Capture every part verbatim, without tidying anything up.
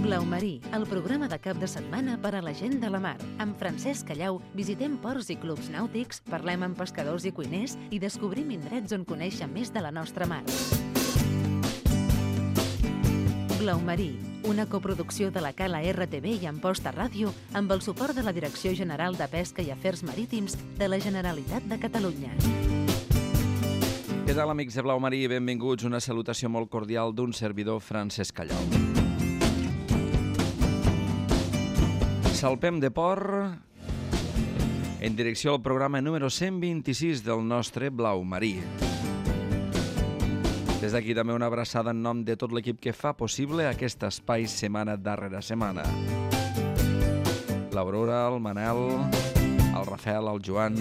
Blau Marí, el programa de cap de setmana per a la gent de la mar. Amb Francesc Callau visitem ports i clubs nàutics, parlem amb pescadors i cuiners i descobrim indrets on conèixer més de la nostra mar. Blau Marí, una coproducció de la Cala R T V i Amposta Ràdio amb el suport de la Direcció General de Pesca i Afers Marítims de la Generalitat de Catalunya. Què tal, amics de Blau Marí? Benvinguts. Una salutació molt cordial d'un servidor, Francesc Callau. Salpem de port en direcció al programa número cent vint-i-sis del nostre Blau Marí. Des d'aquí també una abraçada en nom de tot l'equip que fa possible aquest espai setmana darrere setmana. L'Aurora, el Manel, el Rafael, el Joan...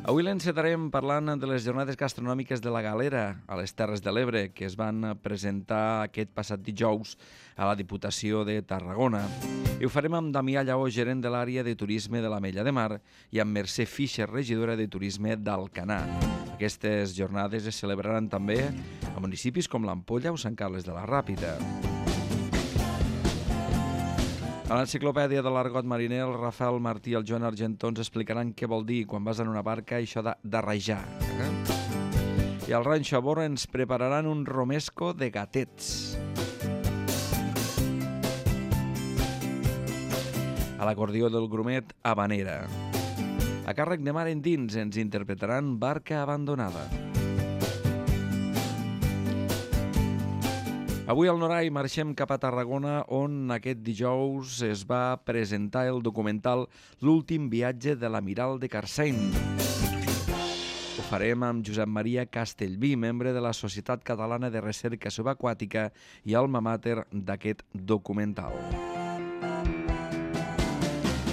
Avui l'encetarem parlant de les jornades gastronòmiques de la Galera a les Terres de l'Ebre, que es van presentar aquest passat dijous a la Diputació de Tarragona. I ho farem amb Damià Lleó, gerent de l'àrea de turisme de l'Ametlla de Mar, i amb Mercè Fischer, regidora de turisme d'Alcanar. Aquestes jornades es celebraran també a municipis com l'Ampolla o Sant Carles de la Ràpita. A l'enciclopèdia de l'argot mariner, el Rafael Martí i el Joan Argentó ens explicaran què vol dir quan vas en una barca això de, de rajar. Eh? I al Ranxo Abora ens prepararan un romesco de gatets. A l'acordió del grumet, habanera. A càrrec de Mar Endins ens interpretaran Barca abandonada. Avui al Norai marxem cap a Tarragona, on aquest dijous es va presentar el documental L'últim viatge de l'amiral de Carsain. Ho farem amb Josep Maria Castellví, membre de la Societat Catalana de Recerca Subaquàtica i alma mater d'aquest documental,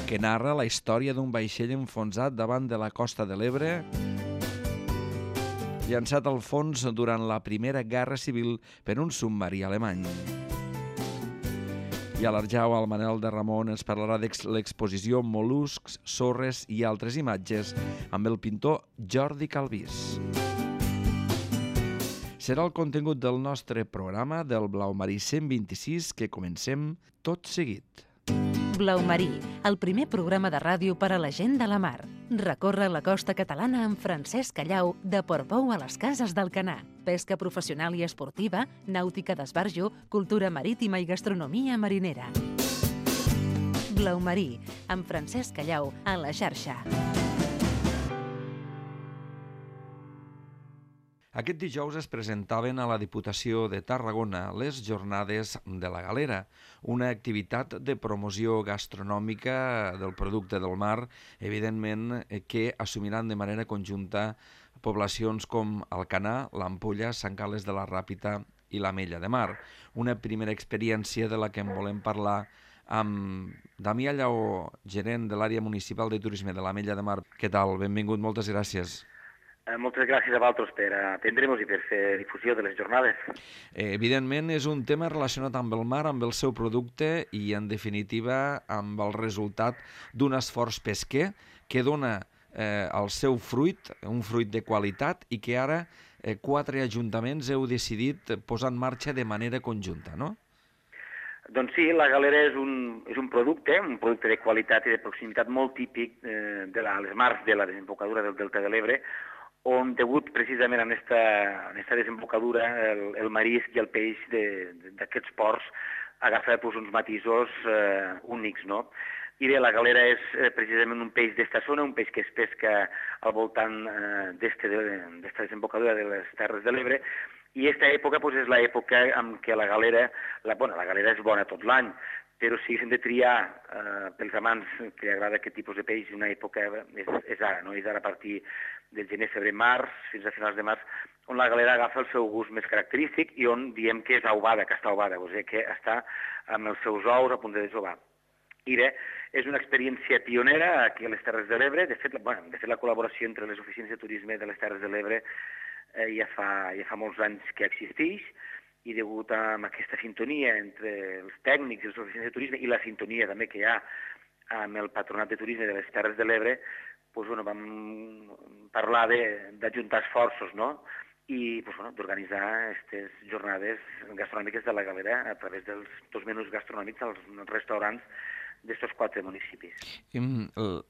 que narra la història d'un vaixell enfonsat davant de la costa de l'Ebre, llançat al fons durant la Primera Guerra Civil per un submarí alemany. I a l'Arjau, el Manel de Ramon ens parlarà de l'exposició Mol·luscs, sorres i altres imatges amb el pintor Jordi Calvís. Serà el contingut del nostre programa del Blau Marí cent vint-i-sis que comencem tot seguit. Blau Marí, el primer programa de ràdio per a la gent de la mar. Recorre la costa catalana amb Francesc Callau, de Portbou a les Cases d'Alcanar. Pesca professional i esportiva, nàutica d'esbarjo, cultura marítima i gastronomia marinera. Blau Marí, amb Francesc Callau, a la xarxa. Aquest dijous es presentaven a la Diputació de Tarragona les Jornades de la Galera, una activitat de promoció gastronòmica del producte del mar, evidentment que assumiran de manera conjunta poblacions com Alcanar, l'Ampolla, Sant Carles de la Ràpita i l'Ametlla de Mar. Una primera experiència de la que en volem parlar amb Damià Lleó, gerent de l'àrea municipal de turisme de l'Ametlla de Mar. Què tal? Benvingut, moltes gràcies. Moltes gràcies a vosaltres per atendre'ns i per fer difusió de les jornades. Eh, evidentment és un tema relacionat amb el mar, amb el seu producte i, en definitiva, amb el resultat d'un esforç pesquer que dona eh, el seu fruit, un fruit de qualitat, i que ara eh, quatre ajuntaments heu decidit posar en marxa de manera conjunta, no? Doncs sí, la galera és un, és un producte, un producte de qualitat i de proximitat molt típic eh, de la, les mars de la desembocadura del Delta de l'Ebre, on degut precisament a aquesta desembocadura el, el marisc i el peix d'aquests ports agafa pues, uns matisos eh, únics, no? I bé, la galera és eh, precisament un peix d'esta zona, un peix que es pesca al voltant eh, d'esta de, desembocadura de les Terres de l'Ebre, i aquesta època pues, és l'època en què la galera, la, bueno, la galera és bona tot l'any, però si hem de triar eh, pels amants que li agrada aquest tipus de peix, una època és, és ara, no? És ara a partir del gener, febrer, març, fins a finals de març, on la galera agafa el seu gust més característic i on diem que és aubada, que està aubada, o sigui que està amb els seus ous a punt de desovar. I bé, és una experiència pionera aquí a les Terres de l'Ebre. De fet, bueno, de fet la col·laboració entre les oficines de turisme de les Terres de l'Ebre eh, ja, fa, ja fa molts anys que existeix, i degut a aquesta sintonia entre els tècnics i les oficines de turisme i la sintonia també que hi ha amb el Patronat de Turisme de les Terres de l'Ebre, doncs, bueno, vam parlar d'ajuntar esforços, no? i pues, bueno, d'organitzar aquestes jornades gastronòmiques de la Galera a través dels dos menús gastronòmics als restaurants d'estos quatre municipis.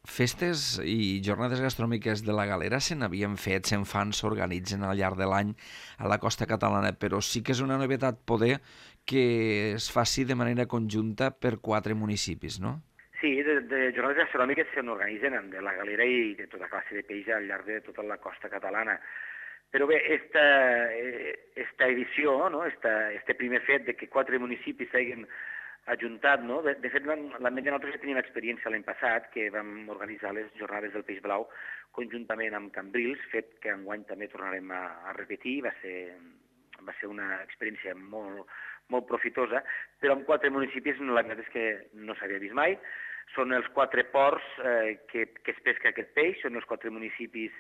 Festes i jornades gastronòmiques de la Galera se n'havien fet, se'n fan, s'organitzen al llarg de l'any a la costa catalana, però sí que és una novetat poder que es faci de manera conjunta per quatre municipis, no? Sí, de, de jornades gastronòmiques se n'organitzen de la Galera i de tota classe de peix al llarg de tota la costa catalana. Però bé, esta, esta edició, no? esta, este primer fet de que quatre municipis s'hagin ajuntat, no? De, de fet, l'Ametlla nosaltres ja teníem experiència l'any passat, que vam organitzar les jornades del peix blau conjuntament amb Cambrils, fet que enguany també tornarem a, a repetir, va ser, va ser una experiència molt, molt profitosa, però amb quatre municipis la veritat és que no s'havia vist mai. Són els quatre ports eh, que, que es pesca aquest peix, són els quatre municipis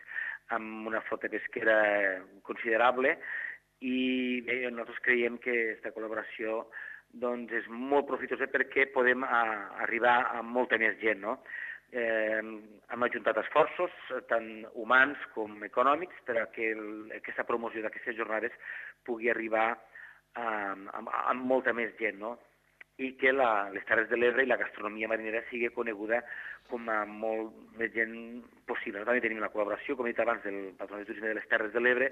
amb una flota pesquera considerable i bé, nosaltres creiem que aquesta col·laboració doncs, és molt profitosa perquè podem a, arribar a molta més gent. No? Eh, hem ajuntat esforços, tant humans com econòmics, per a que el, aquesta promoció d'aquestes jornades pugui arribar a, a, a molta més gent, no? I que la, les Terres de l'Ebre i la gastronomia marinera sigui coneguda com a molt més gent possible. També tenim la col·laboració, com he dit abans, del Patronat de Turisme de les Terres de l'Ebre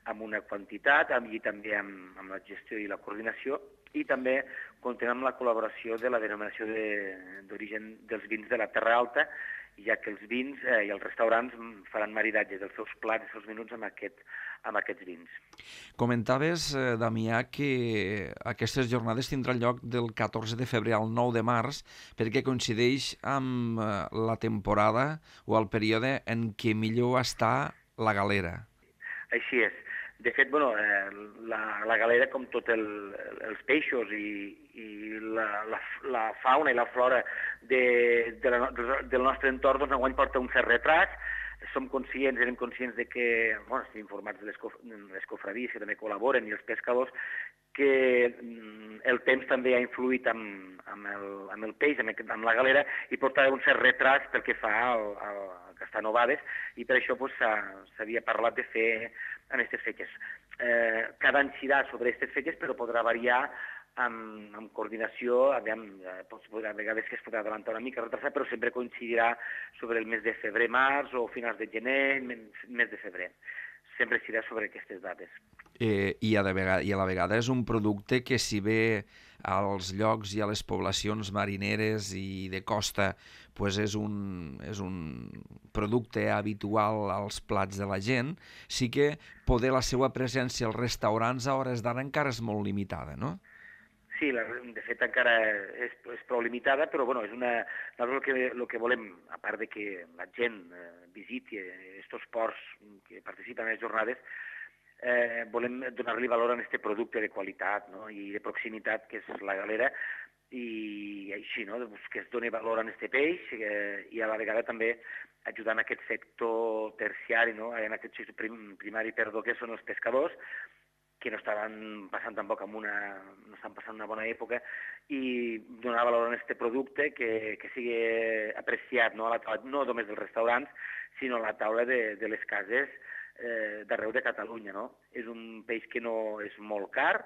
amb una quantitat, amb, i també amb, amb la gestió i la coordinació, i també comptem amb la col·laboració de la denominació d'origen de, dels vins de la Terra Alta, ja que els vins eh, i els restaurants faran maridatge dels seus plats, dels seus menús amb, aquest, amb aquests vins. Comentaves, eh, Damià, que aquestes jornades tindran lloc del catorze de febrer al nou de març perquè coincideix amb eh, la temporada o el període en què millor està la galera. Així és. De fet, bueno, eh, la, la galera, com tots el, els peixos i, i la, la, la fauna i la flora de, de la, del nostre entorn, doncs enguany porta un cert retras. Som conscients, érem conscients de que, bueno, estem informats de les, cof les cofradies que també col·laboren i els pescadors, que el temps també ha influït amb, amb, el, amb el peix, amb, amb la galera, i porta un cert retras pel que fa al, al castanovades, i per això s'havia pues, parlat de fer en aquestes fetges. Eh, cada any serà sobre aquestes fetges, però podrà variar amb, amb coordinació, aviam, eh, a vegades que es podrà adelantar una mica, retrasar, però sempre coincidirà sobre el mes de febrer-març o finals de gener, mes de febrer. Sempre serà sobre aquestes dates. Eh, i, a de vegada, I a la vegada és un producte que, si bé als llocs i a les poblacions marineres i de costa pues és, un, és un producte habitual als plats de la gent, sí que poder la seva presència als restaurants a hores d'ara encara és molt limitada, no? Sí, la, de fet encara és, és prou limitada, però bueno, és una, el que, el que volem, a part de que la gent eh, visiti aquests ports que participen en les jornades, eh, volem donar-li valor a aquest producte de qualitat, no? I de proximitat, que és la galera, i així, no? Que es doni valor a aquest peix eh, i a la vegada també ajudant a aquest sector terciari, no? En aquest sector prim, primari, perdó, que són els pescadors, que no estaven passant tampoc amb una, no estan passant una bona època, i donar valor a aquest producte que, que sigui apreciat, no, a la taula, no només dels restaurants, sinó a la taula de, de les cases eh, d'arreu de Catalunya. No? És un peix que no és molt car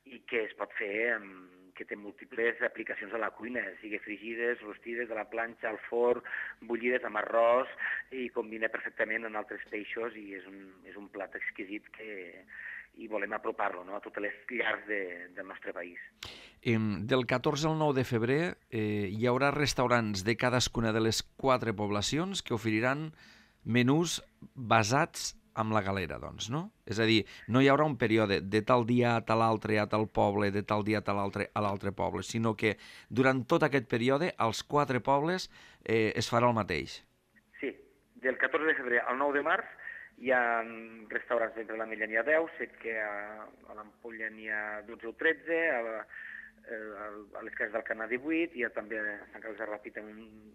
i que es pot fer amb, que té múltiples aplicacions a la cuina, sigui frigides, rostides, a la planxa, al forn, bullides amb arròs, i combina perfectament amb altres peixos, i és un, és un plat exquisit que i volem apropar-lo, no?, a totes les llars de, del nostre país. Eh, del catorze al nou de febrer eh, hi haurà restaurants de cadascuna de les quatre poblacions que oferiran menús basats amb la galera, doncs, no? És a dir, no hi haurà un període de tal dia a tal altre a tal poble, de tal dia a tal altre a l'altre poble, sinó que durant tot aquest període als quatre pobles eh, es farà el mateix. Sí, del catorze de febrer al nou de març hi ha restaurants d'entre l'Ametlla n'hi ha deu, sé que a, a l'Ampolla n'hi ha dotze o tretze, a, a, a les cases del Canà divuit, i també a Sant Carles de Ràpita un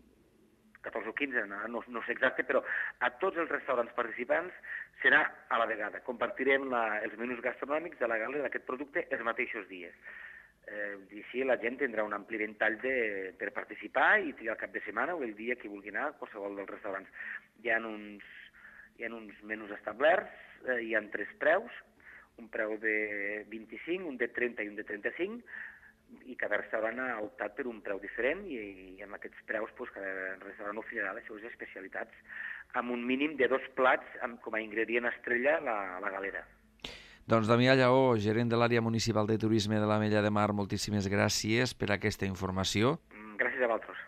catorze o quinze, no, no sé exacte, però a tots els restaurants participants serà a la vegada. Compartirem la, els menús gastronòmics de la galera d'aquest producte els mateixos dies. Eh, I així la gent tindrà un ampli ventall de, per participar i triar el cap de setmana o el dia que vulgui anar a qualsevol dels restaurants. Hi ha uns, hi ha uns menús establerts eh, hi ha tres preus, un preu de vint-i-cinc, un de trenta i un de trenta-cinc, i cada restaurant ha optat per un preu diferent i, i amb aquests preus doncs, cada restaurant oferirà les seves especialitats amb un mínim de dos plats amb, com a ingredient estrella la, la galera. Doncs Damià Lleó, gerent de l'àrea municipal de turisme de l'Ametlla de Mar, moltíssimes gràcies per aquesta informació. Gràcies a vosaltres.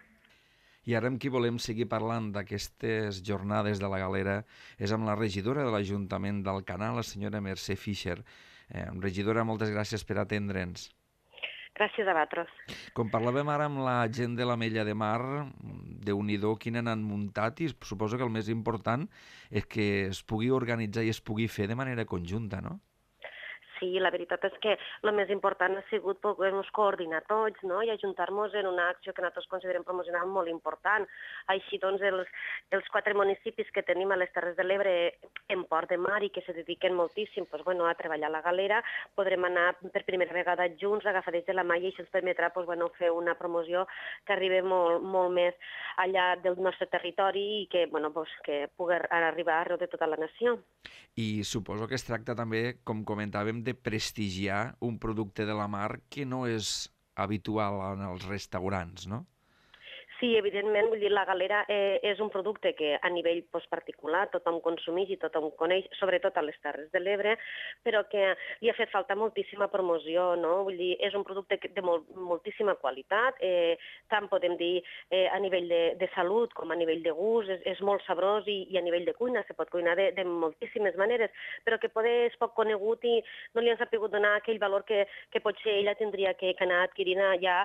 I ara amb qui volem seguir parlant d'aquestes jornades de la galera és amb la regidora de l'Ajuntament d'Alcanar, la senyora Mercè Fischer. Eh, regidora, moltes gràcies per atendre'ns. Gràcies a vosaltres. Com parlàvem ara amb la gent de l'Ametlla de Mar, déu-n'hi-do quina n'han muntat, i suposo que el més important és que es pugui organitzar i es pugui fer de manera conjunta, no? Sí, la veritat és que el més important ha sigut poder-nos coordinar tots, no?, i ajuntar-nos en una acció que nosaltres considerem promocional molt important. Així, doncs, els, els quatre municipis que tenim a les Terres de l'Ebre en Port de Mar i que se dediquen moltíssim doncs, bueno, a treballar a la galera, podrem anar per primera vegada junts, agafadets de la mà, i això ens permetrà doncs, bueno, fer una promoció que arribi molt, molt més allà del nostre territori i que, bueno, doncs, que pugui arribar arreu de tota la nació. I suposo que es tracta també, com comentàvem, de prestigiar un producte de la mar que no és habitual en els restaurants, no? Sí, evidentment, vull dir, la galera eh, és un producte que a nivell pues, particular tothom consumeix i tothom coneix, sobretot a les Terres de l'Ebre, però que li ha fet falta moltíssima promoció, no? Vull dir, és un producte de molt, moltíssima qualitat, eh, tant podem dir eh, a nivell de, de salut com a nivell de gust, és, és molt sabrós i, i a nivell de cuina se pot cuinar de, de moltíssimes maneres, però que poder és poc conegut i no li han sabut donar aquell valor que, que potser ella tindria que, que anar adquirint ja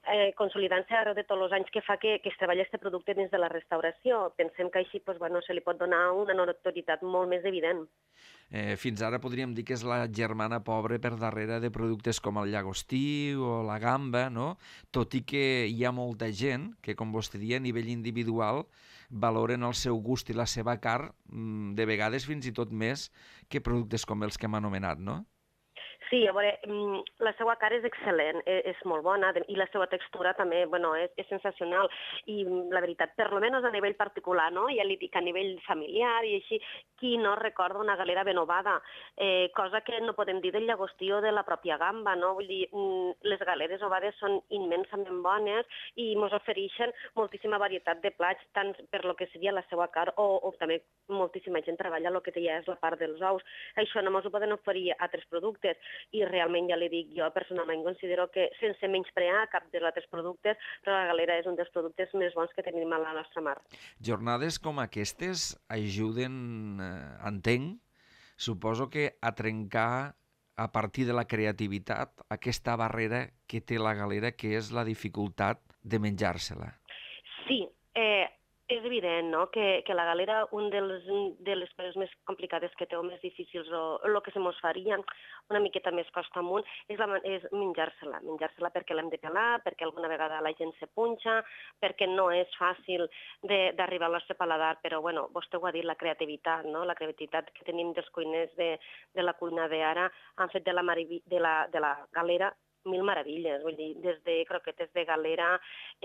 eh, consolidant-se arreu de tots els anys que fa que que, que es treballa aquest producte dins de la restauració. Pensem que així pues, bueno, se li pot donar una notorietat molt més evident. Eh, fins ara podríem dir que és la germana pobra per darrere de productes com el llagostí o la gamba, no? Tot i que hi ha molta gent que, com vostè dia, a nivell individual valoren el seu gust i la seva carn, de vegades fins i tot més que productes com els que hem anomenat, no? Sí, a veure, la seva cara és excel·lent, és molt bona i la seva textura també, bueno, és, és sensacional i la veritat, per almenys a nivell particular, no? Ja li dic a nivell familiar i així, qui no recorda una galera ben ovada, eh, cosa que no podem dir del llagostí o de la pròpia gamba, no? Vull dir, les galeres ovades són immensament bones i ens ofereixen moltíssima varietat de plats, tant per lo que seria la seva carn o, o també moltíssima gent treballa el que ja és la part dels ous. Això no ens ho poden oferir altres productes. I realment, ja li dic, jo personalment considero que sense menysprear cap dels altres productes, però la galera és un dels productes més bons que tenim a la nostra mar. Jornades com aquestes ajuden, eh, entenc, suposo que a trencar a partir de la creativitat aquesta barrera que té la galera, que és la dificultat de menjar-se-la. Sí, eh, és evident, no?, que, que la galera, un dels, de les coses més complicades que té o més difícils o el que se mos faria una miqueta més costa amunt és, la, és menjar-se-la, menjar-se-la perquè l'hem de pelar, perquè alguna vegada la gent se punxa, perquè no és fàcil d'arribar al nostre paladar, però bueno, vostè ho ha dit, la creativitat, no?, la creativitat que tenim dels cuiners de, de la cuina d'ara han fet de la, de la, de la galera mil meravilles, vull dir, des de croquetes de galera,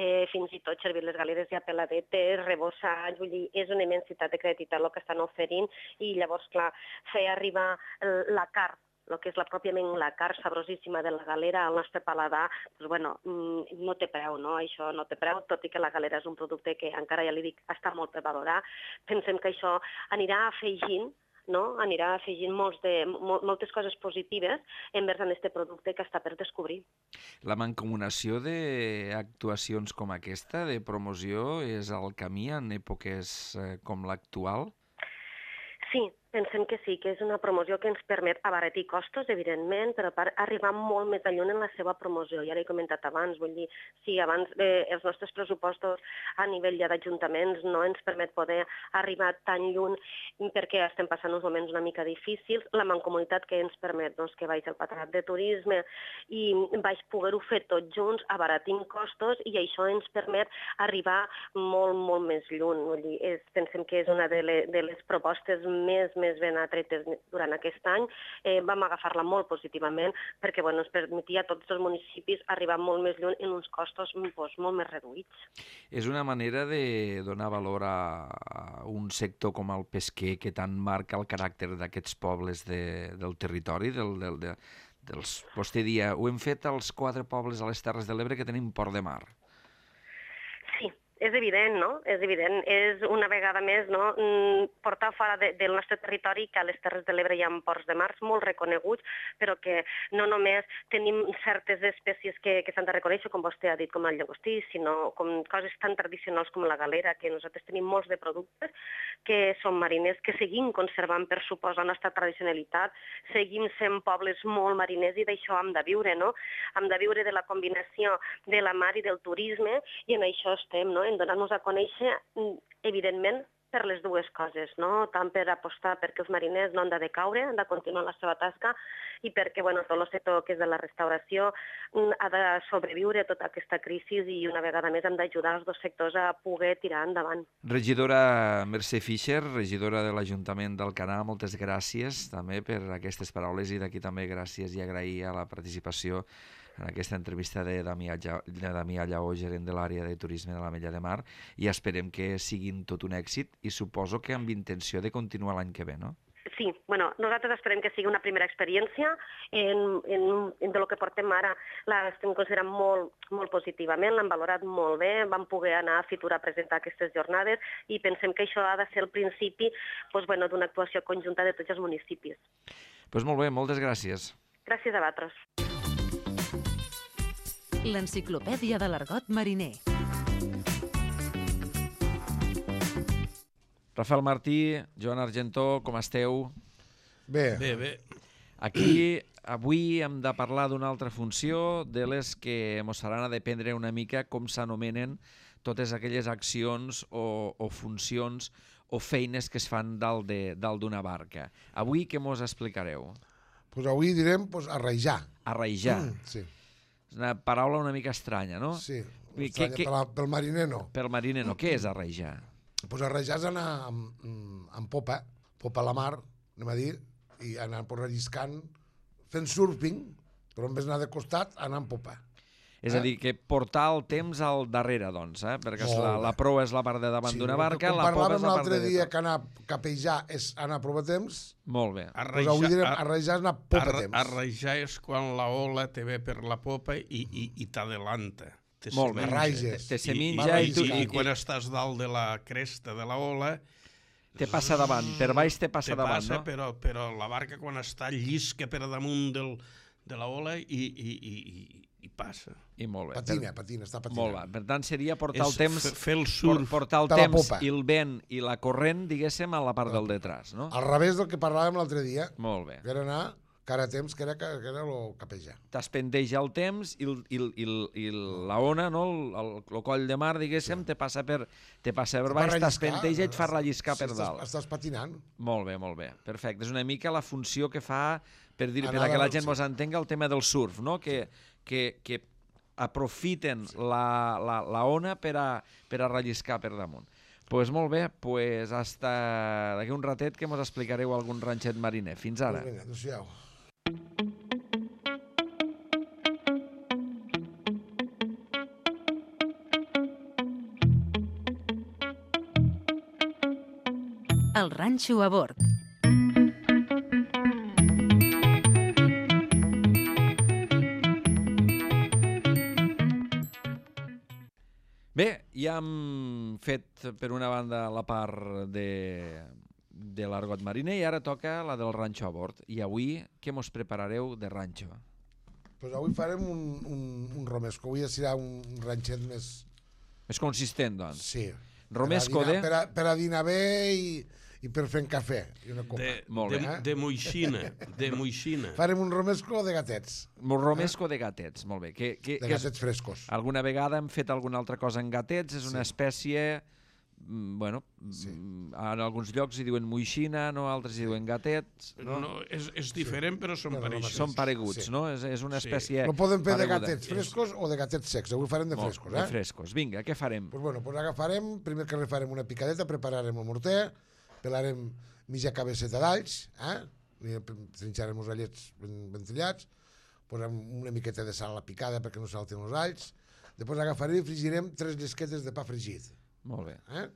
eh, fins i tot servir les galeres ja peladetes, rebossats, vull dir, és una immensitat de creativitat el que estan oferint i llavors, clar, fer arribar la carn, el que és la pròpiament la carn sabrosíssima de la galera al nostre paladar, doncs, bueno, no té preu, no? Això no té preu, tot i que la galera és un producte que encara, ja li dic, està molt per valorar. Pensem que això anirà afegint no? Anirà afegint molts de, mol, moltes coses positives envers en aquest producte que està per descobrir. La mancomunació d'actuacions com aquesta, de promoció, és el camí en èpoques com l'actual? Sí, pensem que sí, que és una promoció que ens permet abaratir costos, evidentment, però per arribar molt més lluny en la seva promoció. Ja l'he comentat abans, vull dir, si abans eh, els nostres pressupostos a nivell ja d'ajuntaments no ens permet poder arribar tan lluny perquè estem passant uns moments una mica difícils, la mancomunitat que ens permet doncs, que vaig al Patronat de Turisme i vaig poder-ho fer tots junts, abaratint costos, i això ens permet arribar molt, molt més lluny. Vull dir, és, pensem que és una de les, de les propostes més més ben atretes durant aquest any, eh, vam agafar-la molt positivament perquè bueno, ens permetia a tots els municipis arribar molt més lluny en uns costos doncs, molt més reduïts. És una manera de donar valor a, a un sector com el pesquer que tant marca el caràcter d'aquests pobles de, del territori, del, del, de, dels... Vostè dia, ho hem fet als quatre pobles a les Terres de l'Ebre que tenim port de mar. Sí, és evident, no? És evident. És una vegada més no? portar fora de, del nostre territori que a les Terres de l'Ebre hi ha ports de mar molt reconeguts, però que no només tenim certes espècies que, que s'han de reconèixer, com vostè ha dit, com el llagostí, sinó com coses tan tradicionals com la galera, que nosaltres tenim molts de productes que són mariners, que seguim conservant, per suposar, la nostra tradicionalitat, seguim sent pobles molt mariners i d'això hem de viure, no? Hem de viure de la combinació de la mar i del turisme i en això estem, no? En donar-nos a conèixer, evidentment, per les dues coses, no? Tant per apostar perquè els mariners no han de decaure, han de continuar la seva tasca i perquè bueno, tot el sector que és de la restauració ha de sobreviure a tota aquesta crisi i una vegada més hem d'ajudar els dos sectors a poder tirar endavant. Regidora Mercè Fischer, regidora de l'Ajuntament d'Alcanar, moltes gràcies també per aquestes paraules i d'aquí també gràcies i agrair a la participació en aquesta entrevista de Damià Lleó, gerent de l'àrea de turisme de l'Ametlla de Mar, i esperem que siguin tot un èxit i suposo que amb intenció de continuar l'any que ve, no? Sí, bueno, nosaltres esperem que sigui una primera experiència en, en, en de lo que portem ara. L'estem considerant molt, molt positivament, l'hem valorat molt bé, vam poder anar a Fitur a presentar aquestes jornades i pensem que això ha de ser el principi doncs, bueno, d'una actuació conjunta de tots els municipis. Doncs molt bé, moltes gràcies. Gràcies a vosaltres. L'enciclopèdia de l'argot mariner. Rafael Martí, Joan Argentó, com esteu? Bé. Bé, bé. Aquí, avui hem de parlar d'una altra funció, de les que ens faran a dependre una mica com s'anomenen totes aquelles accions o, o funcions o feines que es fan dalt d'una barca. Avui què mos explicareu? Pues avui direm pues, arraijar. Arraijar. Mm, sí. És una paraula una mica estranya, no? Sí, Què, estranya, què... per la, pel mariner no. Pel mariner no. Què és arraijar? Pues arraijar és anar amb, amb popa, popa a la mar, anem a dir, i anar pues, relliscant, fent surfing, però en vez d'anar de costat, anar amb popa. És a dir, que portar el temps al darrere, doncs, eh? Perquè la, la proa és la part de davant Sí, d'una no, barca, com la popa és la part de l'altre dia darrere. que anar a capejar és anar a provar temps, Molt bé. pues avui direm arraijar és anar a popa arra, temps. Arraijar és quan la ola te ve per la popa i, i, i t'adelanta. Te Molt bé. Arraiges. Te se I, minja i, i, tu, i, i, i quan estàs dalt de la cresta de la ola te passa davant, per baix te passa te davant, passa, no? però, però la barca quan està llisca per damunt del, de la ola i, i, i, i, i passa. I molt bé. Patina, patina, està patinant. Molt bé. Per tant, seria portar És el temps, fer el surf portar el de la temps popa. i el vent i la corrent, diguéssim, a la part del detrás, no? Al revés del que parlàvem l'altre dia, Molt bé. que era anar cara a temps, que era, que era el capejar. T'espendeja el temps i, el, i, el, i, el, i la ona, no? el, el, el coll de mar, diguéssim, sí. te passa per, te passa per baix, t'espendeja i et fa relliscar sí, per dalt. Estàs, estàs patinant. Molt bé, molt bé. Perfecte. És una mica la funció que fa, per dir, per Anar a que la del- gent mos entenga, el tema del surf, no? Que, que, que aprofiten la, la, la ona per a, per a relliscar per damunt. Doncs pues molt bé, pues hasta d'aquí un ratet que mos explicareu algun ranxet mariner. Fins ara. Pues vinga, adéu-siau. El ranxo a bord. Bé, ja hem fet per una banda la part de, de l'argot mariner i ara toca la del ranxo a bord. I avui què mos preparareu de ranxo? Pues avui farem un, un, un romesco. Avui serà un ranxet més... Més consistent, doncs. Sí. Romesco per a de... dinar, per, a, per a dinar bé i, i per fer un cafè i una copa. de, Molt de, bé. de moixina, de moixina. Farem un romesco de gatets, Romesco de gatets, molt bé. Que, que, de que és... gatets frescos. Alguna vegada hem fet alguna altra cosa en gatets, és una Sí. espècie, mm, bueno, Sí. mm, en alguns llocs hi diuen moixina, no altres hi diuen gatets, no? No, és, és diferent, però són Bueno, pareixos. Són pareguts, Sí. no? És, és una Sí. espècie No podem fer de pareguda. gatets frescos o de gatets secs. Avui farem de Molt, frescos, de eh? frescos. Vinga, què farem? Pues bueno, pues agafarem, primer que res farem una picadeta, prepararem el morter, pelarem mitja cabeceta d'alls, eh? Trinxarem els allets ben, ben tallats, posem una miqueta de sal a la picada perquè no saltin els alls, després agafarem i fregirem tres llesquetes de pa fregit. Molt bé. Eh?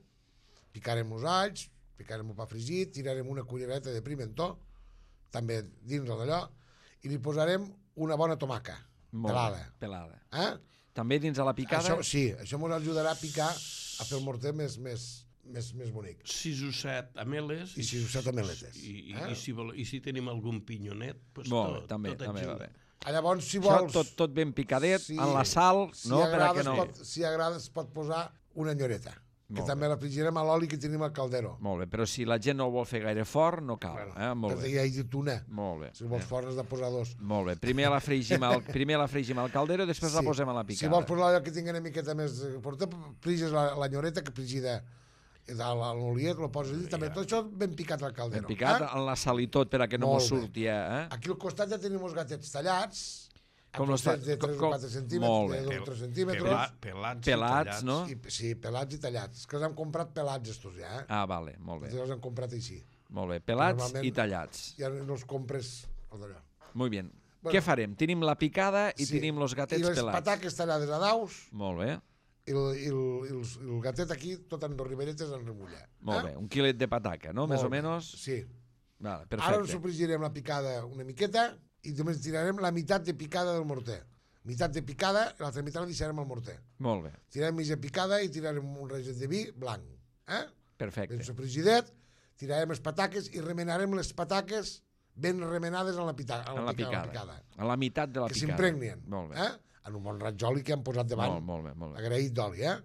Picarem els alls, picarem el pa fregit, tirarem una cullereta de pimentó, també dins d'allò, i li posarem una bona tomaca, Molt pelada. Bé, pelada. Eh? També dins de la picada? Això, sí, això ens ajudarà a picar, a fer el morter més, més, més, més bonic. sis o set ameles. I sis o set ameletes. I, i, eh? i, si, vol, I si tenim algun pinyonet, pues Molt bé, tot, també, tot també va ajuda. bé. Ah, llavors, si Això vols... tot, tot ben picadet, Sí. en la sal, Si no? Per a agrada, que no... es pot, si agrada es pot posar una enyoreta, que Molt també la fregirem a l'oli que tenim al caldero. Molt bé, però si la gent no ho vol fer gaire fort, no cal. Bueno, eh? Molt perquè bé. hi ha dit una. Molt bé. Si vols fort has de posar dos. Molt bé. Primer la fregim al, primer la fregim al caldero i després la posem a la Si picada. vols posar allò que tingui una miqueta més... Porta, friges la, la nyoreta que frigida a l'oliet, lo poses allà, també tot això ben picat al caldero. Ben picat, eh? en la sal i tot, per a que no Molt mos bé. surti, eh? Aquí al costat ja tenim els gatets tallats, Com amb los ta- trosets de tres com- o quatre Molt centímetres, bé. de dos o tres centímetres, Pela, pelats, Pelats, i no? i, sí, pelats i tallats. És que els hem comprat pelats, estos ja, eh? Ah, vale, molt bé. Els hem comprat així. Molt bé. Pelats Normalment- i tallats. Ja no els compres al d'allò. Molt bé. Bueno. Què farem? Tenim la picada i Sí. tenim los I gatets les pelats. pataques tallades a daus, Molt bé. i el, i el, i el, i el gatet aquí, tot en dos riberetes en remulla. Molt bé. Un quilet de pataca, no? Més o Molt bé. menys? Sí. Vale, Ara ens perfecte. sofregirem la picada una miqueta i només tirarem la meitat de picada del morter. Meitat de picada, l'altra meitat la deixarem al morter. Molt bé. Tirarem mitja picada i tirarem un reget de vi blanc. Eh? Perfecte. Ben sofregidet, tirarem les pataques i remenarem les pataques ben remenades en la, pita, en En la, la pica, picada. en la picada. A la meitat de la Que picada. s'impregnen. Molt bé. Eh? En un bon raig d'oli que hem posat davant. Molt, molt bé, molt bé. Agraït d'oli, eh?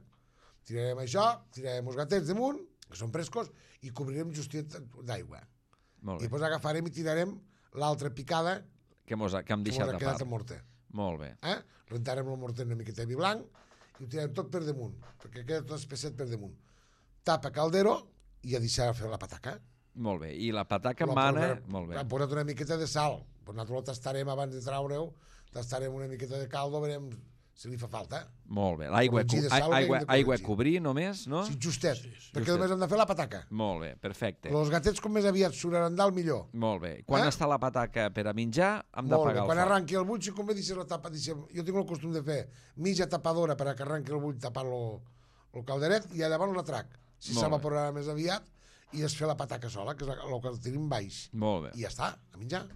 Tirarem això, tirarem els gatets damunt, que són frescos, i cobrirem justet d'aigua. Molt I bé. després agafarem i tirarem l'altra picada Que, mos ha, que hem que deixat mos ha a quedat part. al morter. Molt bé. Eh? Rentarem el morter una miqueta de vi blanc i ho tirarem tot per damunt, perquè queda tot espesset per damunt. Tapa caldero i a deixar fer la pataca. Molt bé. I la pataca La mana... posarem- Molt bé. Hem posat una miqueta de sal. Pues nosaltres la tastarem abans de traure-ho, tastarem una miqueta de caldo, veurem si li fa falta. Molt bé. L'aigua Corregir de cu- sal, aigua, hem de aigua a corregir. cobrir només, no? Sí, justet, Sí, sí. perquè Justet. només hem de fer la pataca. Molt bé, perfecte. Els gatets com més aviat suraran dalt millor. Molt bé. Quan Eh? està la pataca per a menjar, hem Molt bé. d'apagar el Quan foc. arranqui el bull, si convé deixar la tapa, deixem, jo tinc el costum de fer mitja tapadora per a que arranqui el bull tapant-lo el calderet i llavors l'atrac. Si Molt bé. s'evaporarà més aviat i es fer la pataca sola, que és el que tenim baix. Molt bé. I ja està, a menjar.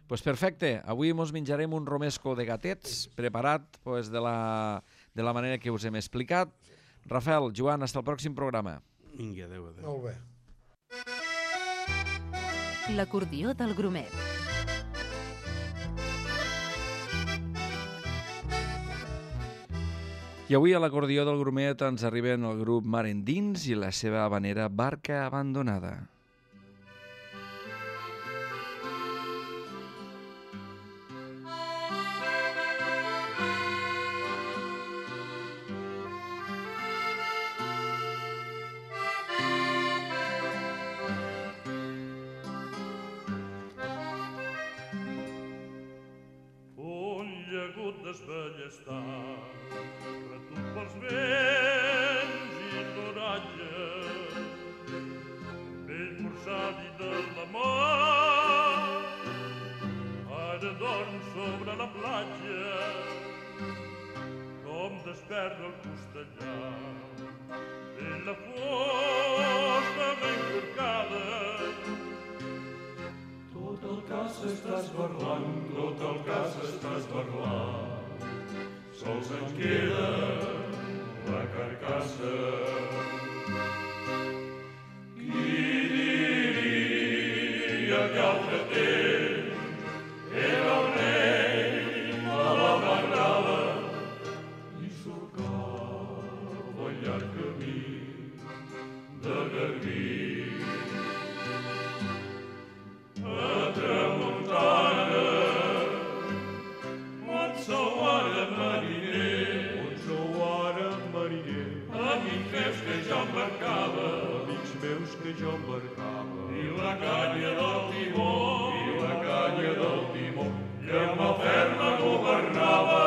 Pues perfecte. Avui mos menjarem un romesco de gatets preparat pues, de, la, de la manera que us hem explicat. Rafael, Joan, fins al pròxim programa. Vinga, adéu, adéu. Molt bé. L'acordió del grumet. I avui a l'acordió del grumet ens arriben el grup Mar Endins i la seva habanera Barca Abandonada. Un llagut desballestar, retut pels vents i l'oratge, vell forçadi de la mar, ara dorm sobre la platja, com desperta el costellà, de la fusta ben corcada, tot el cas està esbarlant, tot el cas està esbarlant. Sols ens queda la carcassa. Qui diria que altre temps era el rei de la barrada i surcava el llarg camí de Garbí. A tramuntana, on sou ara mariner, on sou ara mariner, amics meus que jo embarcava, amics meus que jo embarcava, i la canya del timó, i la canya del timó, i amb la ferma governava,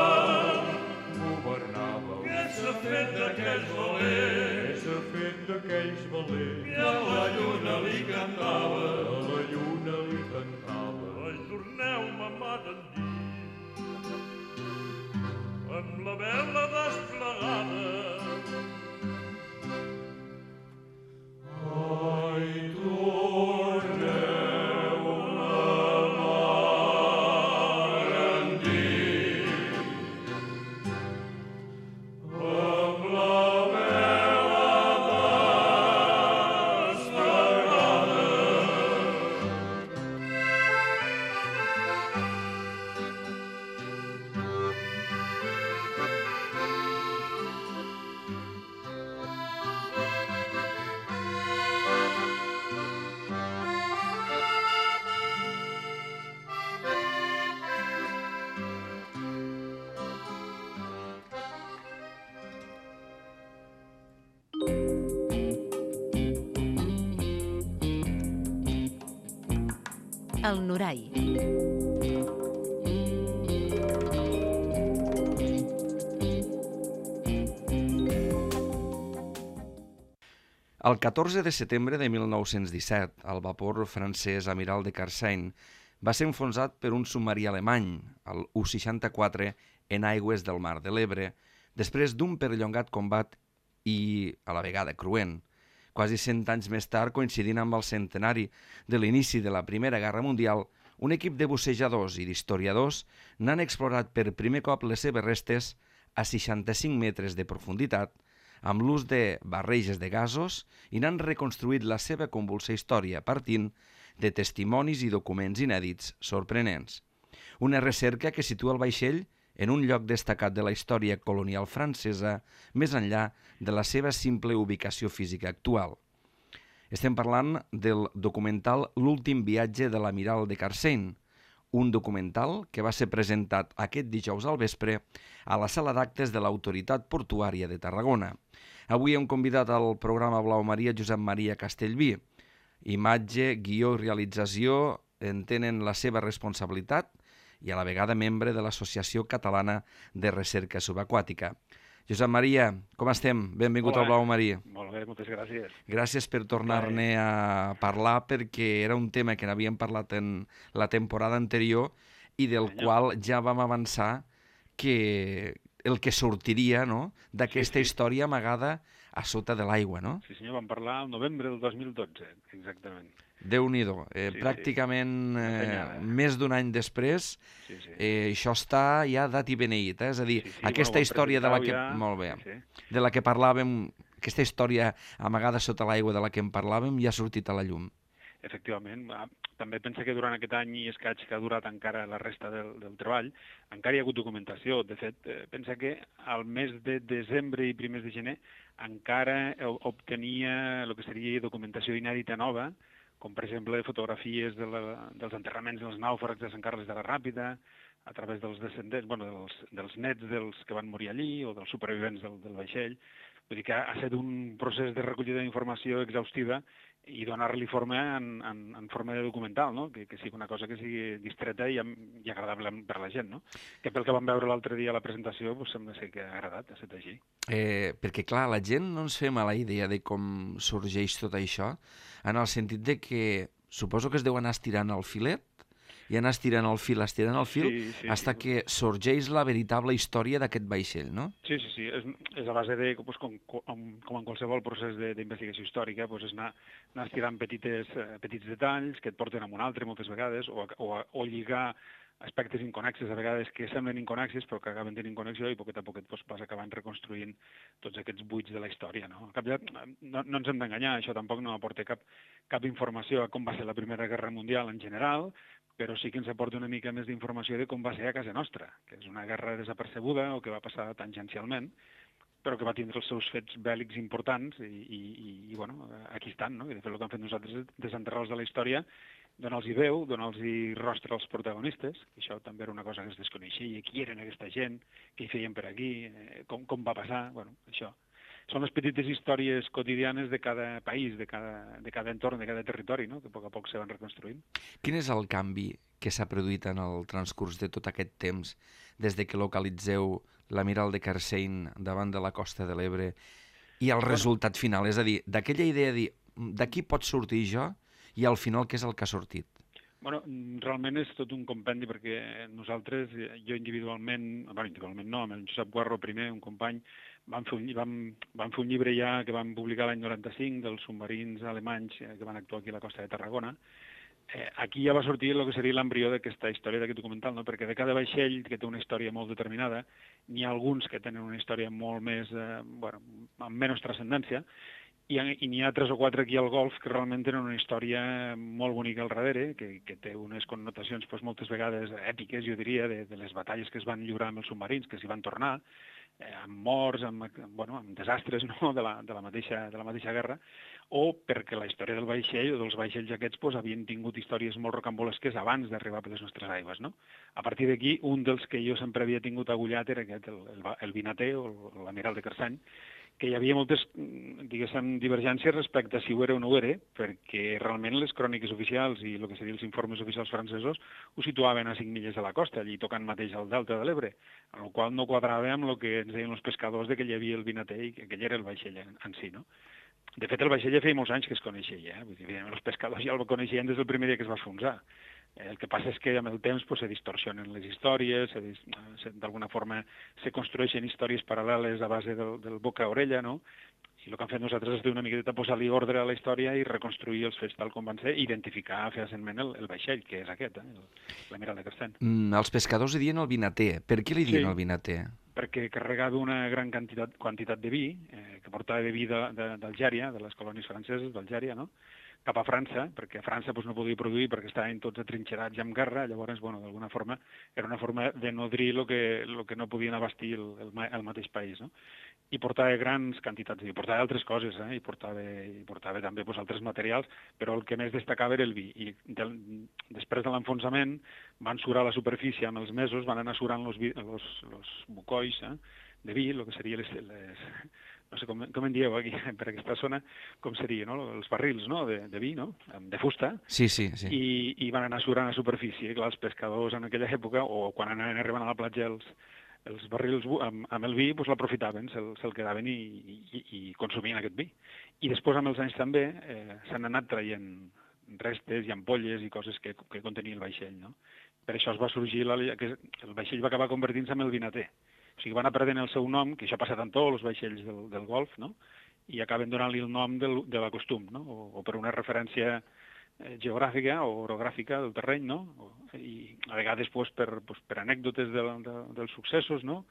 governava. Què s'ha fet d'aquells valents? Què s'ha fet d'aquells valents? I a la lluna li li cantava, a la lluna li cantava. Ajorneu-me, mà d'endins, amb la vela desplegada. Ai, torneu-me, mar endins, amb la vela desplegada. El Norai. El catorze de setembre de mil nou-cents disset, el vapor francès Amiral de Carsein va ser enfonsat per un submarí alemany, el U seixanta-quatre, en aigües del Mar de l'Ebre, després d'un perllongat combat i, a la vegada, cruent. Quasi cent anys més tard, coincidint amb el centenari de l'inici de la Primera Guerra Mundial, un equip de bussejadors i d'historiadors n'han explorat per primer cop les seves restes a seixanta-cinc metres de profunditat, amb l'ús de barreges de gasos, i n'han reconstruït la seva convulsa història partint de testimonis i documents inèdits sorprenents. Una recerca que situa el vaixell en un lloc destacat de la història colonial francesa, més enllà de la seva simple ubicació física actual. Estem parlant del documental L'últim viatge de l'Amiral de Carsein, un documental que va ser presentat aquest dijous al vespre a la sala d'actes de l'Autoritat Portuària de Tarragona. Avui hem convidat al programa Blau Maria Josep Maria Castellví. Imatge, guió i realització en tenen la seva responsabilitat i a la vegada membre de l'Associació Catalana de Recerca Subaquàtica. Josep Maria, com estem? Benvingut Hola. Al Blau Maria. Molt bé, moltes gràcies. Gràcies per tornar-ne a parlar, perquè era un tema que n'havíem parlat en la temporada anterior i del Senyor. qual ja vam avançar que el que sortiria, no?, d'aquesta Sí, sí. història amagada a sota de l'aigua, no? Sí, senyor, vam parlar el novembre del dos mil dotze, exactament. Déu-n'hi-do. Eh, Sí, pràcticament sí. Una eh, penyada. més d'un any després, Sí, sí. eh, això està ja dat i beneït, eh? És a dir, Sí, sí, aquesta bueno, ho història de la que... presentau ja. Molt bé. Sí, sí. De la que parlàvem, aquesta història amagada sota l'aigua de la que en parlàvem ja ha sortit a la llum. Efectivament. Ah, També pensa que durant aquest any i escaig que ha durat encara la resta del, del treball, encara hi ha hagut documentació. De fet, eh, pensa que al mes de desembre i primers de gener encara eh, obtenia el que seria documentació inèdita nova, com per exemple fotografies de la, dels enterraments dels nàufrags de Sant Carles de la Ràpita, a través dels descendents, bueno, dels, dels nets dels que van morir allí o dels supervivents del, del vaixell. Vull dir que ha estat un procés de recollida d'informació exhaustiva i donar-li forma en, en, en forma de documental, no? que, que sigui una cosa que sigui distreta i, i agradable per la gent. No? Que pel que vam veure l'altre dia a la presentació, doncs sembla ser que ha agradat, ha estat així. Eh, perquè, clar, la gent no ens fem a la idea de com sorgeix tot això, en el sentit de que suposo que es deu anar estirant el filet, i anar estirant el fil, estirant el fil, Sí, sí, hasta sí. que sorgeix la veritable història d'aquest vaixell, no? Sí, sí, sí. És, és a base de, doncs, com, com, com en qualsevol procés de- d'investigació històrica, doncs és anar, anar estirant petites, eh, petits detalls que et porten a un altre moltes vegades, o, a- o, a- o lligar aspectes inconexes, a vegades que semblen inconexes, però que acaben tenint connexió i poquet a poquet doncs, vas acabant reconstruint tots aquests buits de la història. No, Al cap de, no, no ens hem d'enganyar, això tampoc no aporta cap, cap informació a com va ser la Primera Guerra Mundial en general, però sí que ens aporta una mica més d'informació de com va ser a casa nostra, que és una guerra desapercebuda o que va passar tangencialment, però que va tindre els seus fets bèl·lics importants i, i, i, i bueno, aquí estan, no? I de fet el que hem fet nosaltres és desenterrar-los de la història, donar-los veu, donar-los rostre als protagonistes, i això també era una cosa que es desconeixia, qui eren aquesta gent, què hi feien per aquí, eh, com, com va passar, bueno, això. Són les petites històries quotidianes de cada país, de cada, de cada entorn, de cada territori, no? Que a poc a poc se van reconstruint. Quin és el canvi que s'ha produït en el transcurs de tot aquest temps, des de que localitzeu l'Amiral de Carsein davant de la costa de l'Ebre i el resultat final? És a dir, d'aquella idea de dir, d'aquí pot sortir jo i al final què és el que ha sortit? Bueno, realment és tot un compendi perquè nosaltres, jo individualment, bueno, individualment no, amb el Josep Guarro primer, un company, vam fer un, vam, vam fer un llibre ja que vam publicar l'any noranta-cinc dels submarins alemanys que van actuar aquí a la costa de Tarragona. Eh, aquí ja va sortir el que seria l'embrió d'aquesta història d'aquest documental, no? Perquè de cada vaixell que té una història molt determinada, n'hi ha alguns que tenen una història molt més, eh, bueno, amb menys transcendència, i, i n'hi ha tres o quatre aquí al Golf que realment tenen una història molt bonica al darrere, que, que té unes connotacions pues, moltes vegades èpiques, jo diria, de, de les batalles que es van lliurar amb els submarins, que s'hi van tornar, eh, amb morts, amb, bueno, amb desastres no? de, la, de, la mateixa, de la mateixa guerra, o perquè la història del vaixell o dels vaixells aquests pues, havien tingut històries molt rocambolesques abans d'arribar per les nostres aigües. No? A partir d'aquí, un dels que jo sempre havia tingut agullat era aquest, el, el, el Vinater o l'Amiral de Carsany, que hi havia moltes, diguéssim, divergències respecte a si ho era o no ho era, perquè realment les cròniques oficials i el que serien els informes oficials francesos ho situaven a cinc milles de la costa, allí tocant mateix al delta de l'Ebre, amb la qual no quadrava amb el que ens deien els pescadors de que hi havia el Vinater i que aquell era el vaixell en, en si, no? De fet, el vaixell ja feia molts anys que es coneixia, eh? Vull dir, evidentment, els pescadors ja el coneixien des del primer dia que es va enfonsar. El que passa és que amb el temps pues, se distorsionen les històries, d'alguna forma se construeixen històries paral·leles a base del, del boca a orella, no? I el que han fet nosaltres és una miqueta posar-li ordre a la història i reconstruir els fets tal com van ser, i identificar fefaentment el, el vaixell, que és aquest, eh? l'Amiral de Carsany. Mm, els pescadors li diuen el Vinater. Per què li diuen sí, el Vinater? Perquè carregava una gran quantitat, quantitat de vi, eh, que portava de vi d'Algèria, de, de les colònies franceses d'Algèria, no? Cap a França, perquè a França doncs, no podia produir perquè estaven tots atrinxerats i amb guerra, llavors, bueno, d'alguna forma, era una forma de nodrir el que, lo que no podien abastir el, el, el mateix país, no? I portava grans quantitats, i portava altres coses, eh? I portava, i portava també pues, altres materials, però el que més destacava era el vi. I del, després de l'enfonsament van surar a la superfície amb els mesos, van anar surant els bucois eh? de vi, el que seria les... les no sé com, com en dieu aquí, per aquesta zona, com seria, no? Els barrils no? de, de vi, no? De fusta, sí, sí, sí. I, i van anar surant a superfície. Clar, els pescadors en aquella època, o quan anaven arribant a la platja els, els barrils amb, amb el vi, doncs l'aprofitaven, se'l se quedaven i, i, i consumien aquest vi. I després, amb els anys també, eh, s'han anat traient restes i ampolles i coses que, que contenia el vaixell, no? Per això es va sorgir, la, que el vaixell va acabar convertint-se en el Vinater. O sigui, van anar perdent el seu nom, que això ha passat amb tots els vaixells del, del Golf, no? I acaben donant-li el nom del, de la costum, no? O, o per una referència eh, geogràfica o orogràfica del terreny, no? O, I a vegades pues, per, pues, per anècdotes de, de, dels successos, no?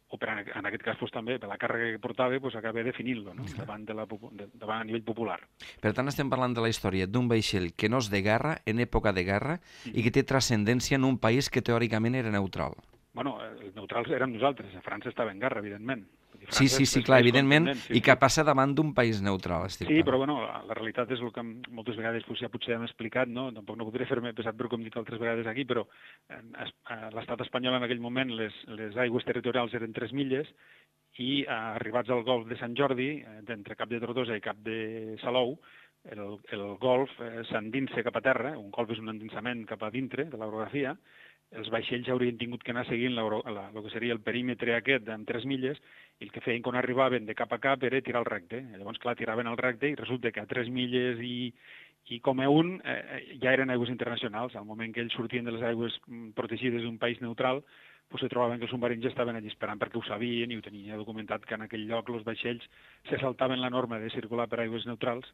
O per, en aquest cas pues, també per la càrrega que portava pues, acaba definint-lo no? davant, de la, de, davant a nivell popular. Per tant, estem parlant de la història d'un vaixell que no és de guerra, en època de guerra, mm. i que té transcendència en un país que teòricament era neutral. Bueno, els neutrals érem nosaltres, a França estava en guerra, evidentment. Sí, sí, sí, clar, evidentment, sí, i que passa davant d'un país neutral. Estic sí, clar. Però bueno, la, la realitat és el que moltes vegades pues, ja potser hem explicat, no? Tampoc no podré fer-me pesat per com dic altres vegades aquí, però a l'estat espanyol en aquell moment les, les aigües territorials eren tres milles i arribats al Golf de Sant Jordi, d'entre Cap de Tortosa i Cap de Salou, el, el Golf eh, s'endinsa cap a terra, un golf és un endinsament cap a dintre de l'orografia, els vaixells haurien tingut que anar seguint la, la, el que seria el perímetre aquest amb tres milles, i el que feien quan arribaven de cap a cap era tirar el recte. Llavors, clar, tiraven el recte i resulta que a tres milles i, i com a un eh, ja eren aigües internacionals. Al moment que ells sortien de les aigües protegides d'un país neutral, pues, se trobaven que els submarins ja estaven allà esperant perquè ho sabien i ho tenien documentat que en aquell lloc els vaixells se saltaven la norma de circular per aigües neutrals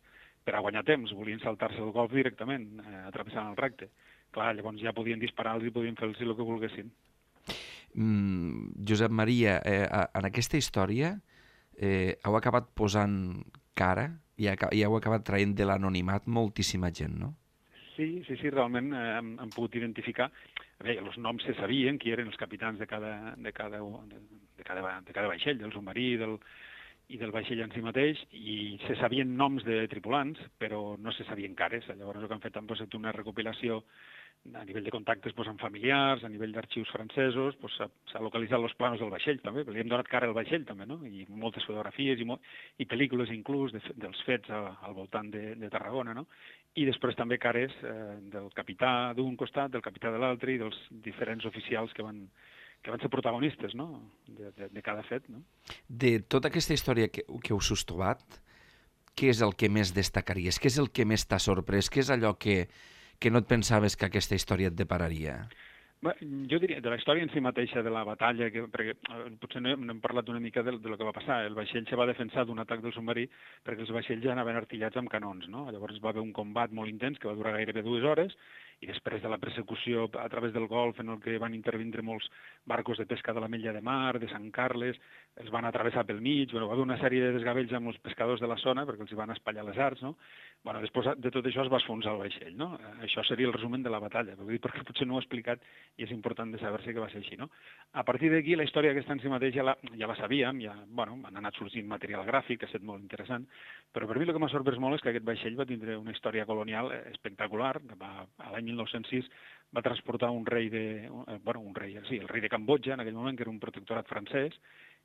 per a guanyar temps, volien saltar-se el golf directament, eh, atravessant el recte. Clar, llavors ja podien disparar-los i podien fer-los el que volguessin. Mm, Josep Maria, eh, en aquesta història eh, heu acabat posant cara i, i heu acabat traient de l'anonimat moltíssima gent, no? Sí, sí, sí, realment eh, hem, hem pogut identificar. Bé, els noms se sabien, qui eren els capitans de cada, de cada, de, de cada, de cada vaixell, del submarí del, i del vaixell en si mateix, i se sabien noms de tripulants, però no se sabien cares. Llavors el que han fet han posat una recopilació a nivell de contactes pues, amb familiars, a nivell d'arxius francesos, pues, s'ha localitzat els planos del vaixell també, li hem donat cara al vaixell també, no? I moltes fotografies i, mo i pel·lícules inclús de, dels fets a, al voltant de, de Tarragona, no? I després també cares eh, del capità d'un costat, del capità de l'altre i dels diferents oficials que van, que van ser protagonistes, no? de, de, de cada fet. No? De tota aquesta història que, que us heu trobat, què és el que més destacaries? Què és el que més t'ha sorprès? Què és allò que, que no et pensaves que aquesta història et depararia? Bé, jo diria, de la història en si mateixa, de la batalla, que, perquè eh, potser no, no hem parlat una mica de, de lo que va passar. El vaixell se va defensar d'un atac del submarí perquè els vaixells ja anaven artillats amb canons, no? Llavors va haver un combat molt intens que va durar gairebé dues hores, i després de la persecució a través del Golf, en el que van intervindre molts barcos de pesca de la Mella de Mar, de Sant Carles, els van atravessar pel mig, bueno, va haver una sèrie de desgavells amb els pescadors de la zona perquè els hi van espatllar les arts, no? Bueno, després de tot això es va esfonsar el vaixell, no? Això seria el resumen de la batalla, perquè potser no ho he explicat i és important de saber-se que va ser així, no? A partir d'aquí, la història aquesta en si mateix ja la, ja la sabíem, ja, bueno, han anat sorgint material gràfic, que ha estat molt interessant, però per mi el que m'ha sorprès molt és que aquest vaixell va tindre una història colonial espectacular, que va, a l'any mil nou-cents sis va transportar un rei de, bueno, un rei, sí, el rei de Cambodja, en aquell moment, que era un protectorat francès,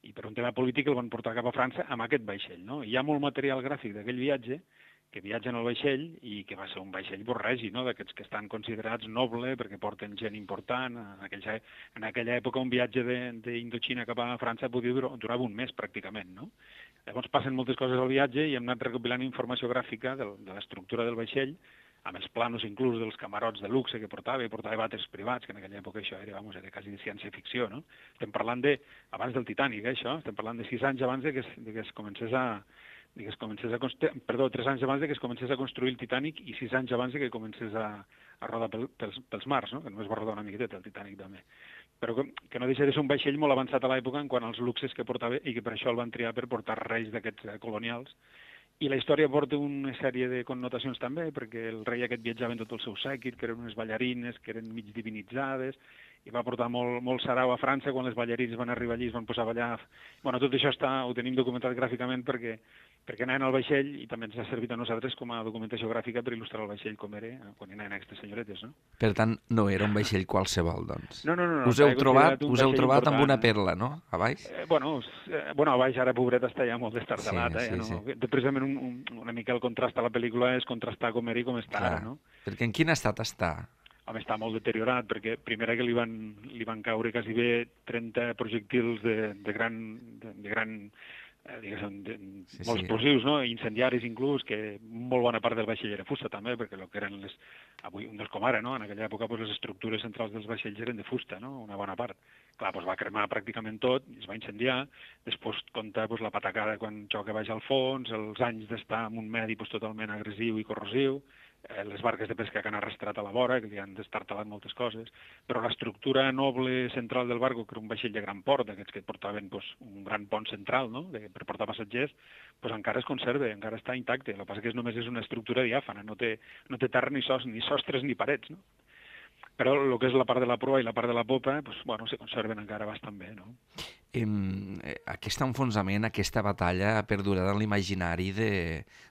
i per un tema polític el van portar cap a França amb aquest vaixell, no? I hi ha molt material gràfic d'aquell viatge que viatgen al vaixell i que va ser un vaixell borregi, no?, d'aquests que estan considerats noble perquè porten gent important. En aquella, en aquella època un viatge d'Indochina cap a França podia durar, durava un mes pràcticament, no? Llavors passen moltes coses al viatge i hem anat recopilant informació gràfica de, de l'estructura del vaixell, amb els planos inclús dels camarots de luxe que portava, i portava vàters privats, que en aquella època això era, vamos, era quasi de ciència-ficció, no? Estem parlant de, abans del Titanic, eh, això, estem parlant de sis anys abans de que es, de que es comencés a, de que es comencés a construir, perdó, tres anys abans de que es comencés a construir el Titanic i sis anys abans de que comencés a, a rodar pel, pels, pels mars, no? Que només va rodar una miqueta el Titanic també. Però que, que no deixa de ser un vaixell molt avançat a l'època en quant als luxes que portava i que per això el van triar per portar reis d'aquests colonials. I la història porta una sèrie de connotacions també, perquè el rei aquest viatjava en tot el seu sèquit, que eren unes ballarines, que eren mig divinitzades, i va portar molt, molt sarau a França quan les ballarines van arribar allí i es van posar a ballar. Bueno, tot això està, ho tenim documentat gràficament perquè, perquè anaven al vaixell i també ens ha servit a nosaltres com a documentació gràfica per il·lustrar el vaixell com era quan anaven aquestes senyoretes, no? Per tant, no era un vaixell qualsevol, doncs. No, no, no. no us heu trobat, us heu trobat amb una perla, no? A baix? Eh, bueno, eh, bueno, a baix ara, pobret, està ja molt destartalat, sí, eh? Sí, no? sí. Precisament un, un, una mica el contrast a la pel·lícula és contrastar com era i com està Clar, ara, no? perquè en quin estat està? Home, està molt deteriorat, perquè primera que li van, li van caure quasi bé trenta projectils de, de gran, de, de gran eh, diguéssim, de, sí, molt sí. explosius, no? Incendiaris inclús, que molt bona part del vaixell era fusta també, perquè el que eren les, avui no és com ara, no? En aquella època pues, les estructures centrals dels vaixells eren de fusta, no? Una bona part. Clar, pues, va cremar pràcticament tot, es va incendiar, després compta pues, la patacada quan xoca baix al fons, els anys d'estar en un medi pues, totalment agressiu i corrosiu, les barques de pesca que han arrastrat a la vora, que li han destartalat moltes coses, però l'estructura noble central del barco, que era un vaixell de gran port, aquests que portaven pues, un gran pont central, no?, de, per portar passatgers, pues, encara es conserva, encara està intacte. El que passa que és només és una estructura diàfana, no té, no té terra ni, sos, ni sostres ni parets, no? Però el que és la part de la proa i la part de la popa, pues, bueno, se conserven encara bastant bé, no? Em, aquest enfonsament, aquesta batalla ha perdurat en l'imaginari de,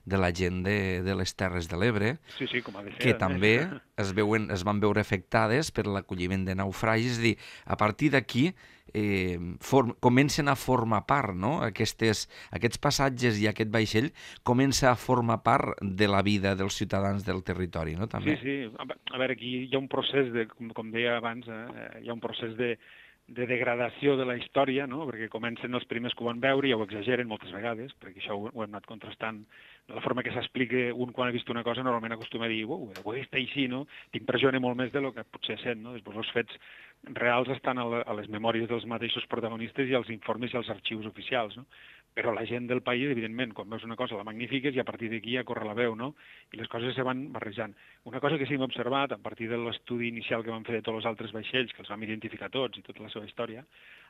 de la gent de, de les Terres de l'Ebre, sí, sí, com ha de ser, que també es, veuen, es van veure afectades per l'acolliment de naufragis. És a dir, a partir d'aquí eh, form, comencen a formar part, no? Aquestes, aquests passatges i aquest vaixell comença a formar part de la vida dels ciutadans del territori, no? També. Sí, sí. A veure, aquí hi ha un procés, de, com, com deia abans, eh, hi ha un procés de de degradació de la història, no? Perquè comencen els primers que ho van veure i ho exageren moltes vegades, perquè això ho, ho hem anat contrastant. De la forma que s'explica un quan ha vist una cosa normalment acostuma a dir uau, ho he vist així, no? T'impressiona molt més de lo que potser sent, no? Després els fets reals estan a, la, a les memòries dels mateixos protagonistes i als informes i als arxius oficials, no? Però la gent del país, evidentment, quan veus una cosa la magnifiques i a partir d'aquí ja corre la veu, no? I les coses se van barrejant. Una cosa que sí que hem observat, a partir de l'estudi inicial que vam fer de tots els altres vaixells, que els vam identificar tots i tota la seva història,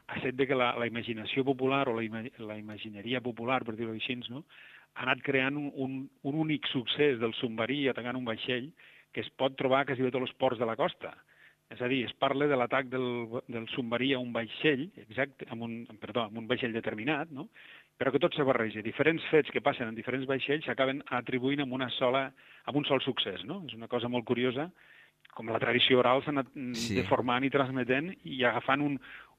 ha estat de que la, la imaginació popular o la, ima, la imagineria popular, per dir-ho així, no? Ha anat creant un, un, un únic succés del submarí atacant un vaixell que es pot trobar quasi bé a tots els ports de la costa. És a dir, es parla de l'atac del, del submarí a un vaixell, exacte, amb un, perdó, amb un vaixell determinat, no? Però que tot se barreja. Diferents fets que passen en diferents vaixells s'acaben atribuint amb, una sola, amb un sol succés, no? És una cosa molt curiosa, com la tradició oral s'ha anat sí. deformant i transmetent i agafant un,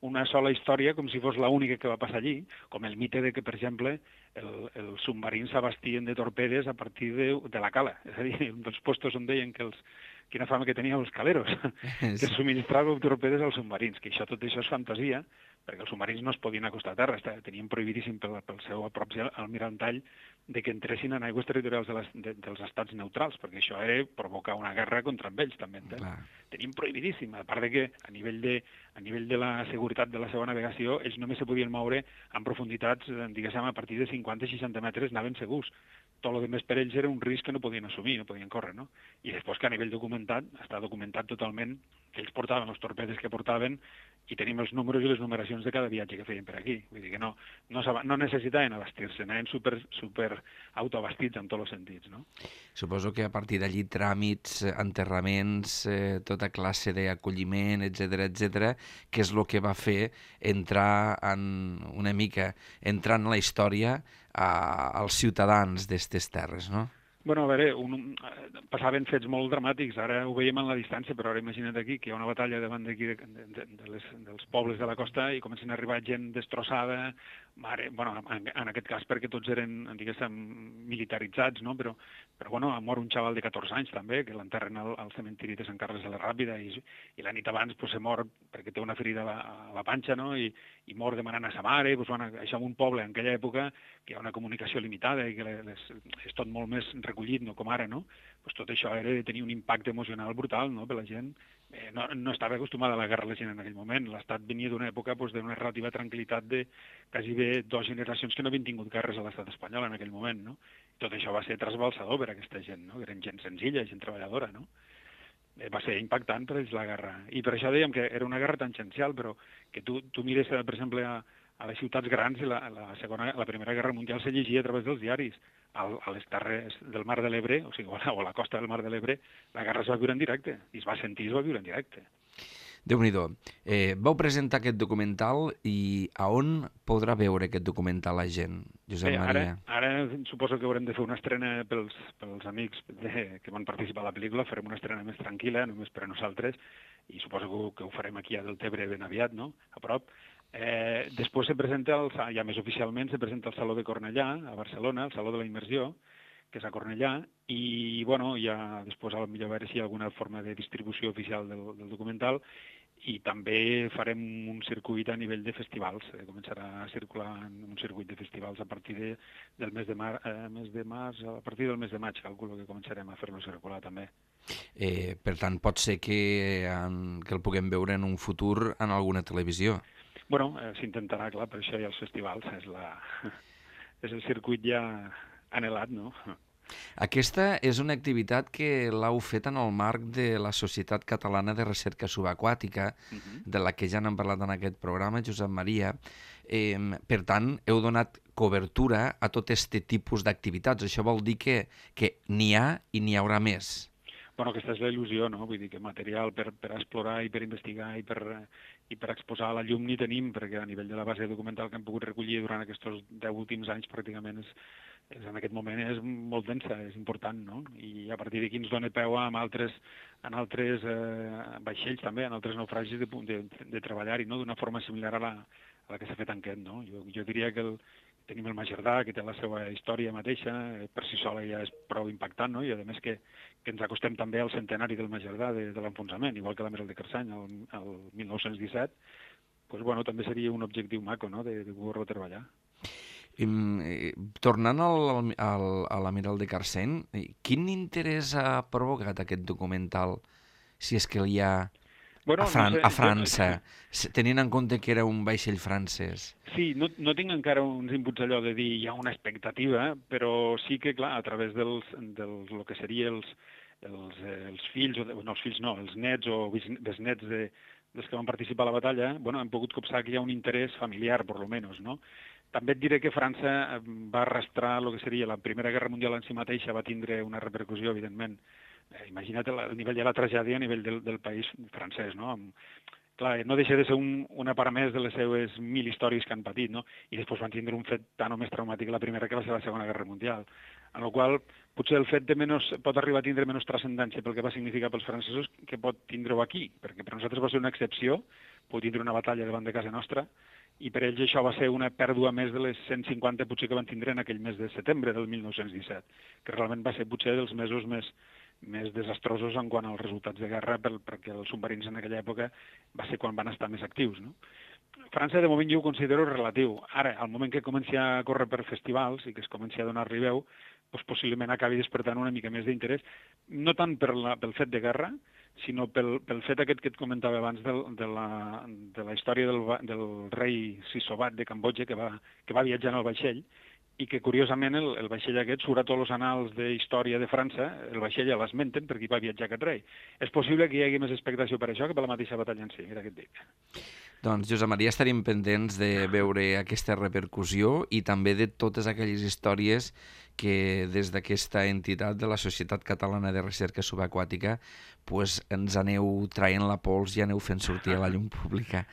una sola història com si fos l'única que va passar allí, com el mite de que, per exemple, el, els submarins s'abastien de torpedes a partir de, de la cala. És a dir, un dels postos on deien que els quina fama que tenien els caleros, que subministraven torpedes als submarins, que això tot això és fantasia, perquè els submarins no es podien acostar a terra, tenien prohibidíssim pel, pel seu propi almirantall de que entressin en aigües territorials de les, de, dels estats neutrals, perquè això era provocar una guerra contra ells, també. Tenien prohibidíssim, a part de que a nivell de, a nivell de la seguretat de la seva navegació, ells només se podien moure en profunditats, diguéssim, a partir de cinquanta a seixanta metres anaven segurs. Tot el que més per ells era un risc que no podien assumir, no podien córrer, no? I després que a nivell documentat, està documentat totalment que ells portaven els torpedes que portaven i tenim els números i les numeracions de cada viatge que feien per aquí. Vull dir que no, no, no necessitaven abastir-se, anaven super, super autoabastits en tots els sentits, no? Suposo que a partir d'allí tràmits, enterraments, eh, tota classe d'acolliment, etcètera, etcètera, que és el que va fer entrar en una mica, entrar en la història a, als ciutadans d'aquestes terres, no? Bueno, a veure, un, passaven fets molt dramàtics, ara ho veiem en la distància, però ara imagina't aquí que hi ha una batalla davant d'aquí de, de, de les, dels pobles de la costa i comencen a arribar gent destrossada, mare, bueno, en, en aquest cas perquè tots eren, diguéssim, militaritzats, no? Però, però bueno, ha mort un xaval de catorze anys també, que l'enterren al, al cementiri de Sant Carles de la Ràpida i, i la nit abans pues, se mor perquè té una ferida a la, a la panxa, no? I, i mor demanant a sa mare, pues, bueno, això en un poble en aquella època que hi ha una comunicació limitada i que les, és tot molt més recollit, no com ara, no? Pues tot això era de tenir un impacte emocional brutal, no?, per la gent. Eh, no, no estava acostumada a la guerra la gent en aquell moment. L'Estat venia d'una època pues, d'una relativa tranquil·litat de quasi bé dues generacions que no havien tingut guerres a l'Estat espanyol en aquell moment, no? Tot això va ser trasbalsador per a aquesta gent, no? Que eren gent senzilla, gent treballadora, no? Eh, va ser impactant per ells la guerra. I per això dèiem que era una guerra tangencial, però que tu, tu mires, per exemple, a, a les ciutats grans, la, la, segona, la Primera Guerra Mundial se llegia a través dels diaris. Al, a les terres del Mar de l'Ebre, o sigui, o a la costa del Mar de l'Ebre, la guerra es va viure en directe, i es va sentir i es va viure en directe. Déu-n'hi-do. Eh, vau presentar aquest documental i a on podrà veure aquest documental la gent, Josep Bé, Maria? Ara, ara suposo que haurem de fer una estrena pels, pels amics de, que van participar a la pel·lícula, farem una estrena més tranquil·la, només per a nosaltres, i suposo que, que ho farem aquí a Deltebre ben aviat, no?, a prop. Eh, després se presenta, el, ja més oficialment, se presenta el Saló de Cornellà, a Barcelona, el Saló de la Immersió, que és a Cornellà, i bueno, ja després a millor veure si hi ha alguna forma de distribució oficial del, del documental, i també farem un circuit a nivell de festivals, eh, començarà a circular en un circuit de festivals a partir de, del mes de, mar, eh, mes de març, a partir del mes de maig, calculo que començarem a fer-lo circular també. Eh, per tant, pot ser que, en, que el puguem veure en un futur en alguna televisió? Bueno, eh, s'intentarà, clar, per això hi ha els festivals, és, la, és el circuit ja anhelat, no? Aquesta és una activitat que l'heu fet en el marc de la Societat Catalana de Recerca Subaquàtica, uh-huh. de la que ja n'hem parlat en aquest programa, Josep Maria. Eh, per tant, heu donat cobertura a tot aquest tipus d'activitats. Això vol dir que, que n'hi ha i n'hi haurà més. Bueno, aquesta és la il·lusió, no? Vull dir que material per, per explorar i per investigar i per, i per exposar a la llum ni tenim, perquè a nivell de la base documental que hem pogut recollir durant aquests deu últims anys pràcticament és, és, en aquest moment és molt densa, és important, no? I a partir d'aquí ens dona peu en altres, en altres eh, vaixells també, en altres naufragis de, de, de treballar-hi, no? D'una forma similar a la, a la que s'ha fet en aquest, no? Jo, jo diria que el, tenim el Magerdà, que té la seva història mateixa, per si sola ja és prou impactant, no? I a més que, que ens acostem també al centenari del Magerdà de, de l'enfonsament, igual que l'Amiral de Carsany, el, el mil nou-cents disset, pues, bueno, també seria un objectiu maco, no?, de, de poder-lo treballar. I, eh, tornant al, al, a l'Amiral de Carsany, quin interès ha provocat aquest documental, si és que hi ha... Bueno, a, Fran no sé, a França, jo... tenint en compte que era un vaixell francès. Sí, no, no tinc encara uns inputs allò de dir hi ha una expectativa, però sí que, clar, a través dels, dels el que seria els, els, els fills, o de, no, els fills no, els nets o besnets de, dels que van participar a la batalla, bueno, hem pogut copsar que hi ha un interès familiar, per lo menos, no? També et diré que França va arrastrar el que seria la Primera Guerra Mundial en si mateixa, va tindre una repercussió, evidentment. Eh, imagina't el, el nivell de la tragèdia a nivell del, del país francès, no? Clar, no deixa de ser un, una part més de les seves mil històries que han patit, no? I després van tindre un fet tan o més traumàtic la primera que va ser la Segona Guerra Mundial. En la qual potser el fet de menys, pot arribar a tindre menys transcendència pel que va significar pels francesos que pot tindre-ho aquí, perquè per nosaltres va ser una excepció, pot tindre una batalla davant de casa nostra, i per ells això va ser una pèrdua més de les cent cinquanta potser que van tindre en aquell mes de setembre del mil nou-cents disset, que realment va ser potser dels mesos més, més desastrosos en quant als resultats de guerra, pel, perquè els submarins en aquella època va ser quan van estar més actius, no? França, de moment, jo ho considero relatiu. Ara, al moment que comenci a córrer per festivals i que es comenci a donar-li veu, doncs possiblement acabi despertant una mica més d'interès, no tant per la, pel fet de guerra, sinó pel, pel fet aquest que et comentava abans del, de, la, de la història del, del rei Sisobat de Cambodja, que va, que va viatjar en el vaixell, i que, curiosament, el, el vaixell aquest surt a tots els anals de història de França, el vaixell ja l'esmenten perquè hi va viatjar aquest rei. És possible que hi hagi més expectació per això que per la mateixa batalla en si, mira què et dic. Doncs, Josep Maria, estaríem pendents de veure aquesta repercussió i també de totes aquelles històries que des d'aquesta entitat de la Societat Catalana de Recerca Subaquàtica pues, ens aneu traient la pols i aneu fent sortir a la llum pública.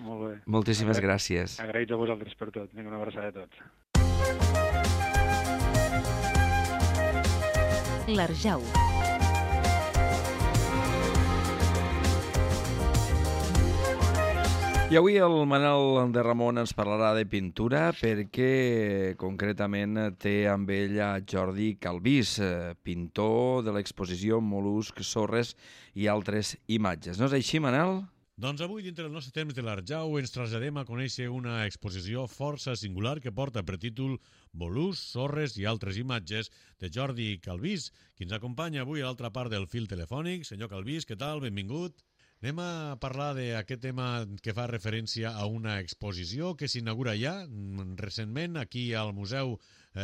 Molt bé. Moltíssimes Agra gràcies. Agraïts a vosaltres per tot. Vinga, una abraçada a tots. L'Arjau. I avui el Manel de Ramon ens parlarà de pintura perquè concretament té amb ell a Jordi Calvís, pintor de l'exposició Mol·luscs, sorres i altres imatges. No és així, Manel? Doncs avui, dintre del nostre temps de l'Arjau, ens traslladem a conèixer una exposició força singular que porta per títol Mol·luscs, sorres i altres imatges de Jordi Calvís, qui ens acompanya avui a l'altra part del fil telefònic. Senyor Calvís, què tal? Benvingut. Anem a parlar d'aquest tema que fa referència a una exposició que s'inaugura ja recentment aquí al Museu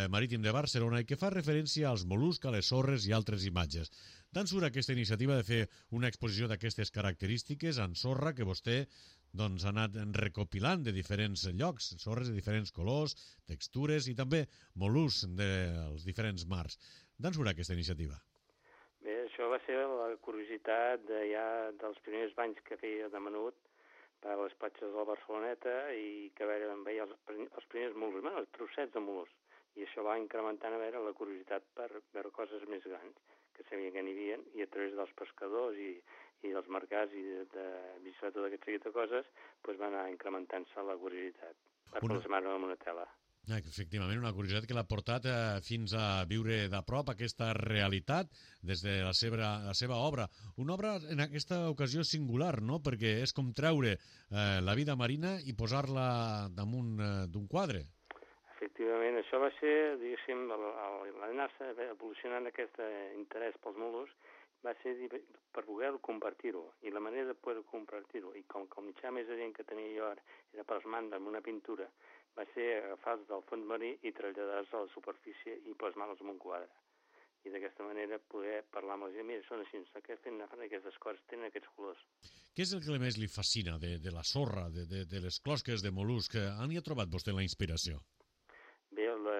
Marítim de Barcelona i que fa referència als mol·luscs, a les sorres i altres imatges. D'on surt aquesta iniciativa de fer una exposició d'aquestes característiques en sorra que vostè doncs, ha anat recopilant de diferents llocs, sorres de diferents colors, textures i també mol·luscs dels diferents mars. D'on surt aquesta iniciativa? Bé, això va ser la curiositat de ja dels primers banys que feia de menut per a les platges de la Barceloneta i que veia, veia els, els primers mol·luscs, bueno, els trossets de mol·luscs. I això va incrementant a veure la curiositat per veure coses més grans que sabia que n'hi havia i a través dels pescadors i, i dels mercats i de, de visitar tot aquest seguit de coses doncs va anar incrementant-se la curiositat per una... plasmar-ho en una tela. Efectivament, una curiositat que l'ha portat eh, fins a viure de prop aquesta realitat des de la seva, la seva obra. Una obra en aquesta ocasió singular, no? Perquè és com treure eh, la vida marina i posar-la damunt eh, d'un quadre. Efectivament, això va ser, diguéssim, l'anar-se evolucionant aquest interès pels mol·luscs va ser per poder compartir-ho i la manera de poder compartir-ho i com que el mitjà més adient que tenia jo era plasmar-lo en una pintura va ser agafar-los del fons marí i traslladar-los a la superfície i plasmar-los en un quadre. I d'aquesta manera poder parlar amb la gent, mira, són així, que fent aquestes coses, tenen aquests colors. Què és el que més li fascina de, de la sorra, de, de, de les closques de mol·lusc? On hi ha trobat vostè la inspiració? Bé, la,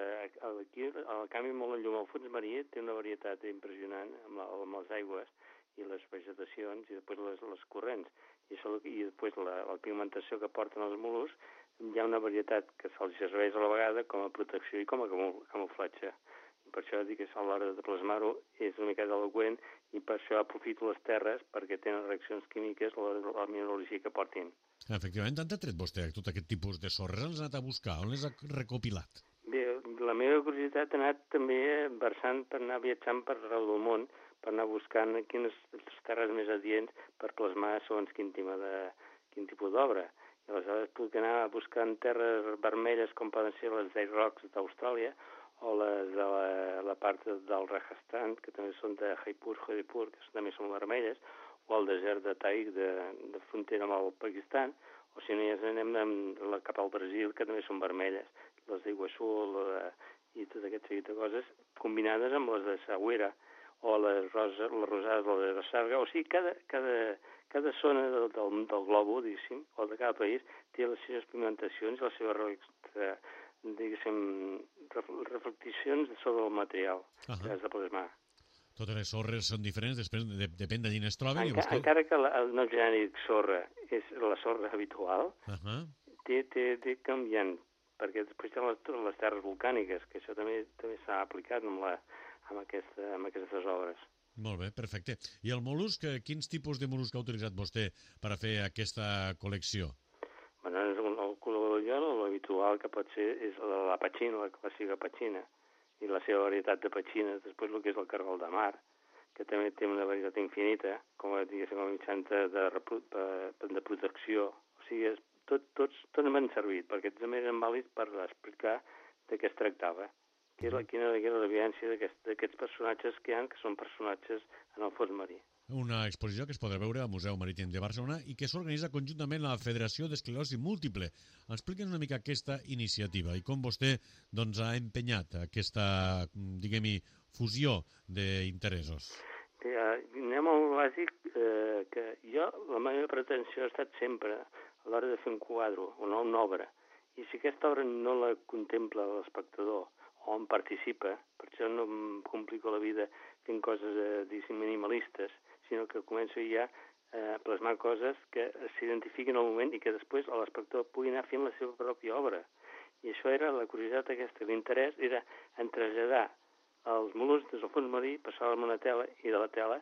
aquí, al canvi molt en llum, el fons marí té una varietat impressionant amb, la, amb les aigües i les vegetacions i després les, les corrents. I, això, i després la, la pigmentació que porten els mol·luscs, hi ha una varietat que se'ls serveix a la vegada com a protecció i com a camuflatge. I per això dic que a l'hora de plasmar-ho és una mica eloqüent i per això aprofito les terres perquè tenen reaccions químiques a la mineralogia que portin. Efectivament, on ha tret vostè tot aquest tipus de sorres? On les ha anat a buscar? On les ha recopilat? Bé, la meva curiositat ha anat també versant per anar viatjant per arreu del món, per anar buscant quines terres més adients per plasmar segons quin, de, quin tipus d'obra. I aleshores puc anar buscant terres vermelles com poden ser les Day Rocks d'Austràlia o les de la, la part del Rajasthan, que també són de Jaipur, Jodhpur, que també són vermelles, o el desert de Taik, de, de frontera amb el Pakistan, o si no ja anem la, cap al Brasil, que també són vermelles, les d'Iguassú i tot aquest seguit de coses, combinades amb les de Sagüera, o les, rosa, les rosades de la Sarga, o sigui, cada, cada, cada zona del, del, del globo, diguéssim, o de cada país, té les seves pigmentacions i les seves, diguéssim, reflecticions sobre el material uh -huh. que has de plasmar. Totes les sorres són diferents, després de, depèn d'allí on es troben. Enca, I vostè... Encara que la, el nom genèric sorra és la sorra habitual, uh -huh. té, té, té canviant, perquè després hi ha les, les terres volcàniques, que això també també s'ha aplicat amb, la, amb, aquesta, amb aquestes obres. Molt bé, perfecte. I el mol·lusc, quins tipus de mol·lusc ha utilitzat vostè per a fer aquesta col·lecció? Bueno, el, el color l'habitual que pot ser és la, la petxina, la clàssica petxina, i la seva varietat de petxines, després el que és el cargol de mar, que també té una varietat infinita, com a, diguéssim, com a mitjans de, de, de protecció. O sigui, és, tot, tots, tots m'han servit, perquè també eren vàlids per explicar de què es tractava, que és la, quina era la evidència d'aquests personatges que hi ha, que són personatges en el fons marí. Una exposició que es podrà veure al Museu Marítim de Barcelona i que s'organitza conjuntament a la Federació d'Esclerosi Múltiple. Explique'ns una mica aquesta iniciativa i com vostè doncs, ha empenyat aquesta, diguem-hi, fusió d'interessos. Eh, anem al bàsic, eh, que jo, la meva pretensió ha estat sempre a l'hora de fer un quadre o no una obra. I si aquesta obra no la contempla l'espectador o en participa, per això no em complico la vida fent coses eh, diguéssim, minimalistes, sinó que començo ja a plasmar coses que s'identifiquin al moment i que després l'espectador pugui anar fent la seva pròpia obra. I això era la curiositat aquesta, l'interès era en traslladar els mol·luscs des del fons marí, passar-la a una tela i de la tela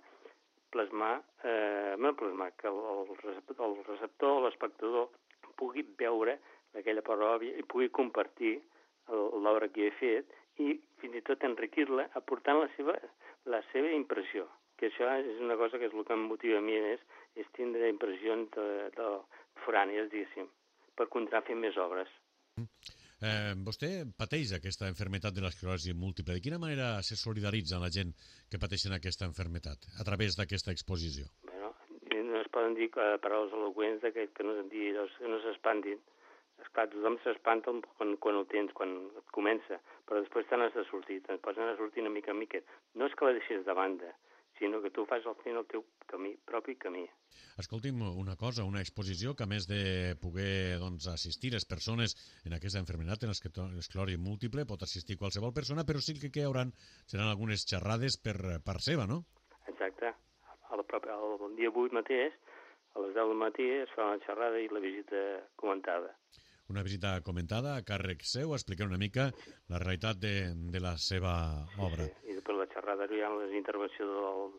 plasmar, eh, no plasmar, que el, el receptor o l'espectador pugui veure aquella part òbvia i pugui compartir l'obra que he fet i fins i tot enriquir-la aportant la seva, la seva impressió, que això és una cosa que és el que em motiva a mi més, és tindre impressions de, de forànies, diguéssim, per continuar fent més obres. Eh, vostè pateix aquesta malaltia de l'esclerosi múltiple. De quina manera se solidaritza la gent que pateixen aquesta malaltia a través d'aquesta exposició? Bueno, no es poden dir paraules eloqüents que, que no, no s'espantin. Esclar, tothom s'espanta quan, quan ho tens, quan et comença, però després te n'has de sortir, te'n pots anar a sortir una mica en mica. No és que la deixis de banda, sinó que tu fas al final el teu camí, propi camí. Escolti'm, una cosa, una exposició que a més de poder doncs, assistir les persones en aquesta malaltia, en l'esclerosi múltiple, pot assistir qualsevol persona, però sí que hi haurà, seran algunes xerrades per part seva, no? Exacte. El, el dia vuit mateix, a les deu del matí, es fa una xerrada i la visita comentada. Una visita comentada a càrrec seu, explicar una mica la realitat de, de la seva obra. Sí, sí. I després la xerrada hi ha les intervencions del,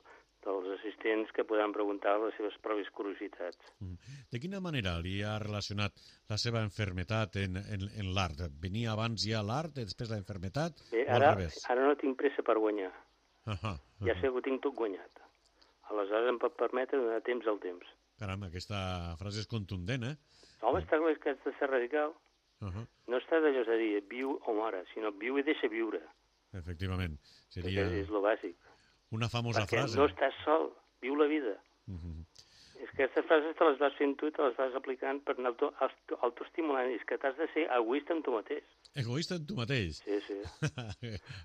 dels assistents que podran preguntar les seves pròpies curiositats. De quina manera li ha relacionat la seva malaltia en, en, en l'art? Venia abans ja l'art, després la malaltia, Bé, o al ara, revés? Ara no tinc pressa per guanyar. Uh -huh, uh -huh. Ja sé que ho tinc tot guanyat. Aleshores em pot permetre donar temps al temps. Caram, aquesta frase és contundent, eh? Home, està clar que has de ser radical. Uh -huh. No es tracta de dir viu o mora, sinó viu i deixa viure. Efectivament. Seria... És el bàsic. Una famosa Perquè frase. no estàs sol, viu la vida. Uh -huh. És que aquestes frases te les vas fent tu, te les vas aplicant per anar autoestimulant. És que t'has de ser egoista amb tu mateix. Egoista amb tu mateix? Sí, sí.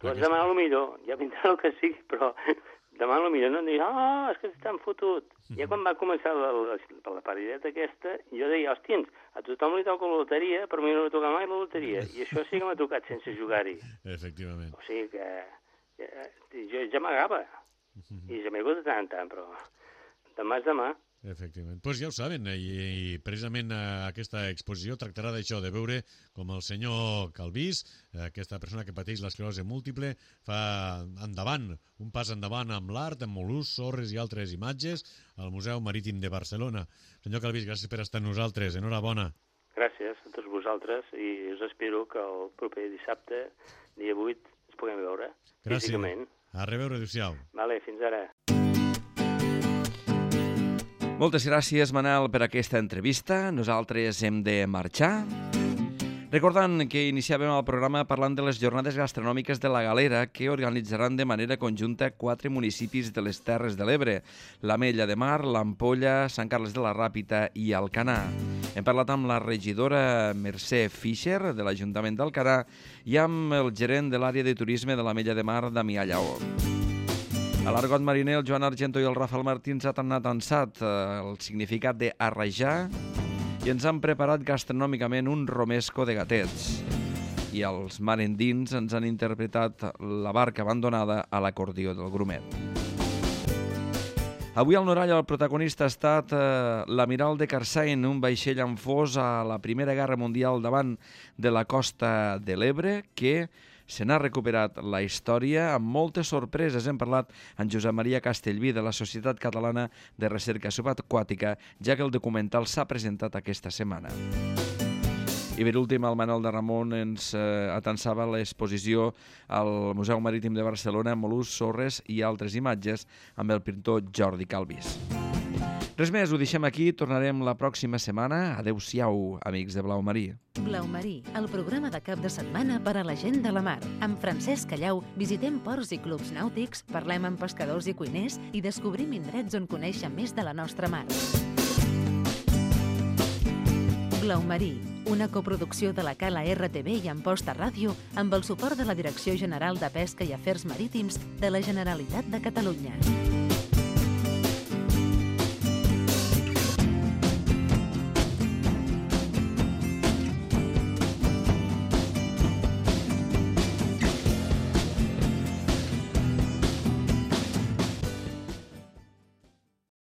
Tu has de demanar el millor, ja vindrà el que sigui, però demana el millor. No em diguis, ah, és que estan fotut. Ja quan va començar la, la, la parideta aquesta, jo deia, hòstiens, a tothom li toca la loteria, però a mi no li toca mai la loteria. I això sí que m'ha tocat sense jugar-hi. Efectivament. O sigui que ja, jo ja m'agava. I ja m'he hagut de tant en tant, però demà és demà. Efectivament. Doncs pues ja ho saben, i, i precisament aquesta exposició tractarà d'això, de veure com el senyor Calvís, aquesta persona que pateix l'esclerosi múltiple, fa endavant, un pas endavant amb l'art, amb mol·luscs, sorres i altres imatges, al Museu Marítim de Barcelona. Senyor Calvís, gràcies per estar amb nosaltres. Enhorabona. Gràcies a tots vosaltres i us espero que el proper dissabte, dia vuit, ens puguem veure. Gràcies. Físicament. A reveure, adéu-siau. Vale, fins ara. Moltes gràcies, Manel, per aquesta entrevista. Nosaltres hem de marxar. Recordant que iniciàvem el programa parlant de les jornades gastronòmiques de la Galera que organitzaran de manera conjunta quatre municipis de les Terres de l'Ebre: l'Ametlla de Mar, l'Ampolla, Sant Carles de la Ràpita i Alcanar. Hem parlat amb la regidora Mercè Fischer de l'Ajuntament d'Alcanar i amb el gerent de l'àrea de turisme de l'Ametlla de Mar, Damià Lleó. A l'Argot Mariner, el Joan Argento i el Rafael Martins han anat ansat el significat d'arrajar i ens han preparat gastronòmicament un romesco de gatets. I els marendins ens han interpretat la barca abandonada a l'acordió del Grumet. Avui al Norall el protagonista ha estat eh, l'Amiral de Carsain, un vaixell amb fos a la Primera Guerra Mundial davant de la costa de l'Ebre, que se n'ha recuperat la història amb moltes sorpreses. Hem parlat amb Josep Maria Castellví de la Societat Catalana de Recerca Subaquàtica, ja que el documental s'ha presentat aquesta setmana. I per últim, el Manel de Ramon ens eh, atansava l'exposició al Museu Marítim de Barcelona, mol·luscs, sorres i altres imatges amb el pintor Jordi Calvís. Res més, ho deixem aquí, tornarem la pròxima setmana. Adéu-siau, amics de Blau Marí. Blau Marí, el programa de cap de setmana per a la gent de la mar. Amb Francesc Callau visitem ports i clubs nàutics, parlem amb pescadors i cuiners i descobrim indrets on conèixer més de la nostra mar. Blau Marí, una coproducció de la Cala R T V i Amposta Ràdio amb el suport de la Direcció General de Pesca i Afers Marítims de la Generalitat de Catalunya.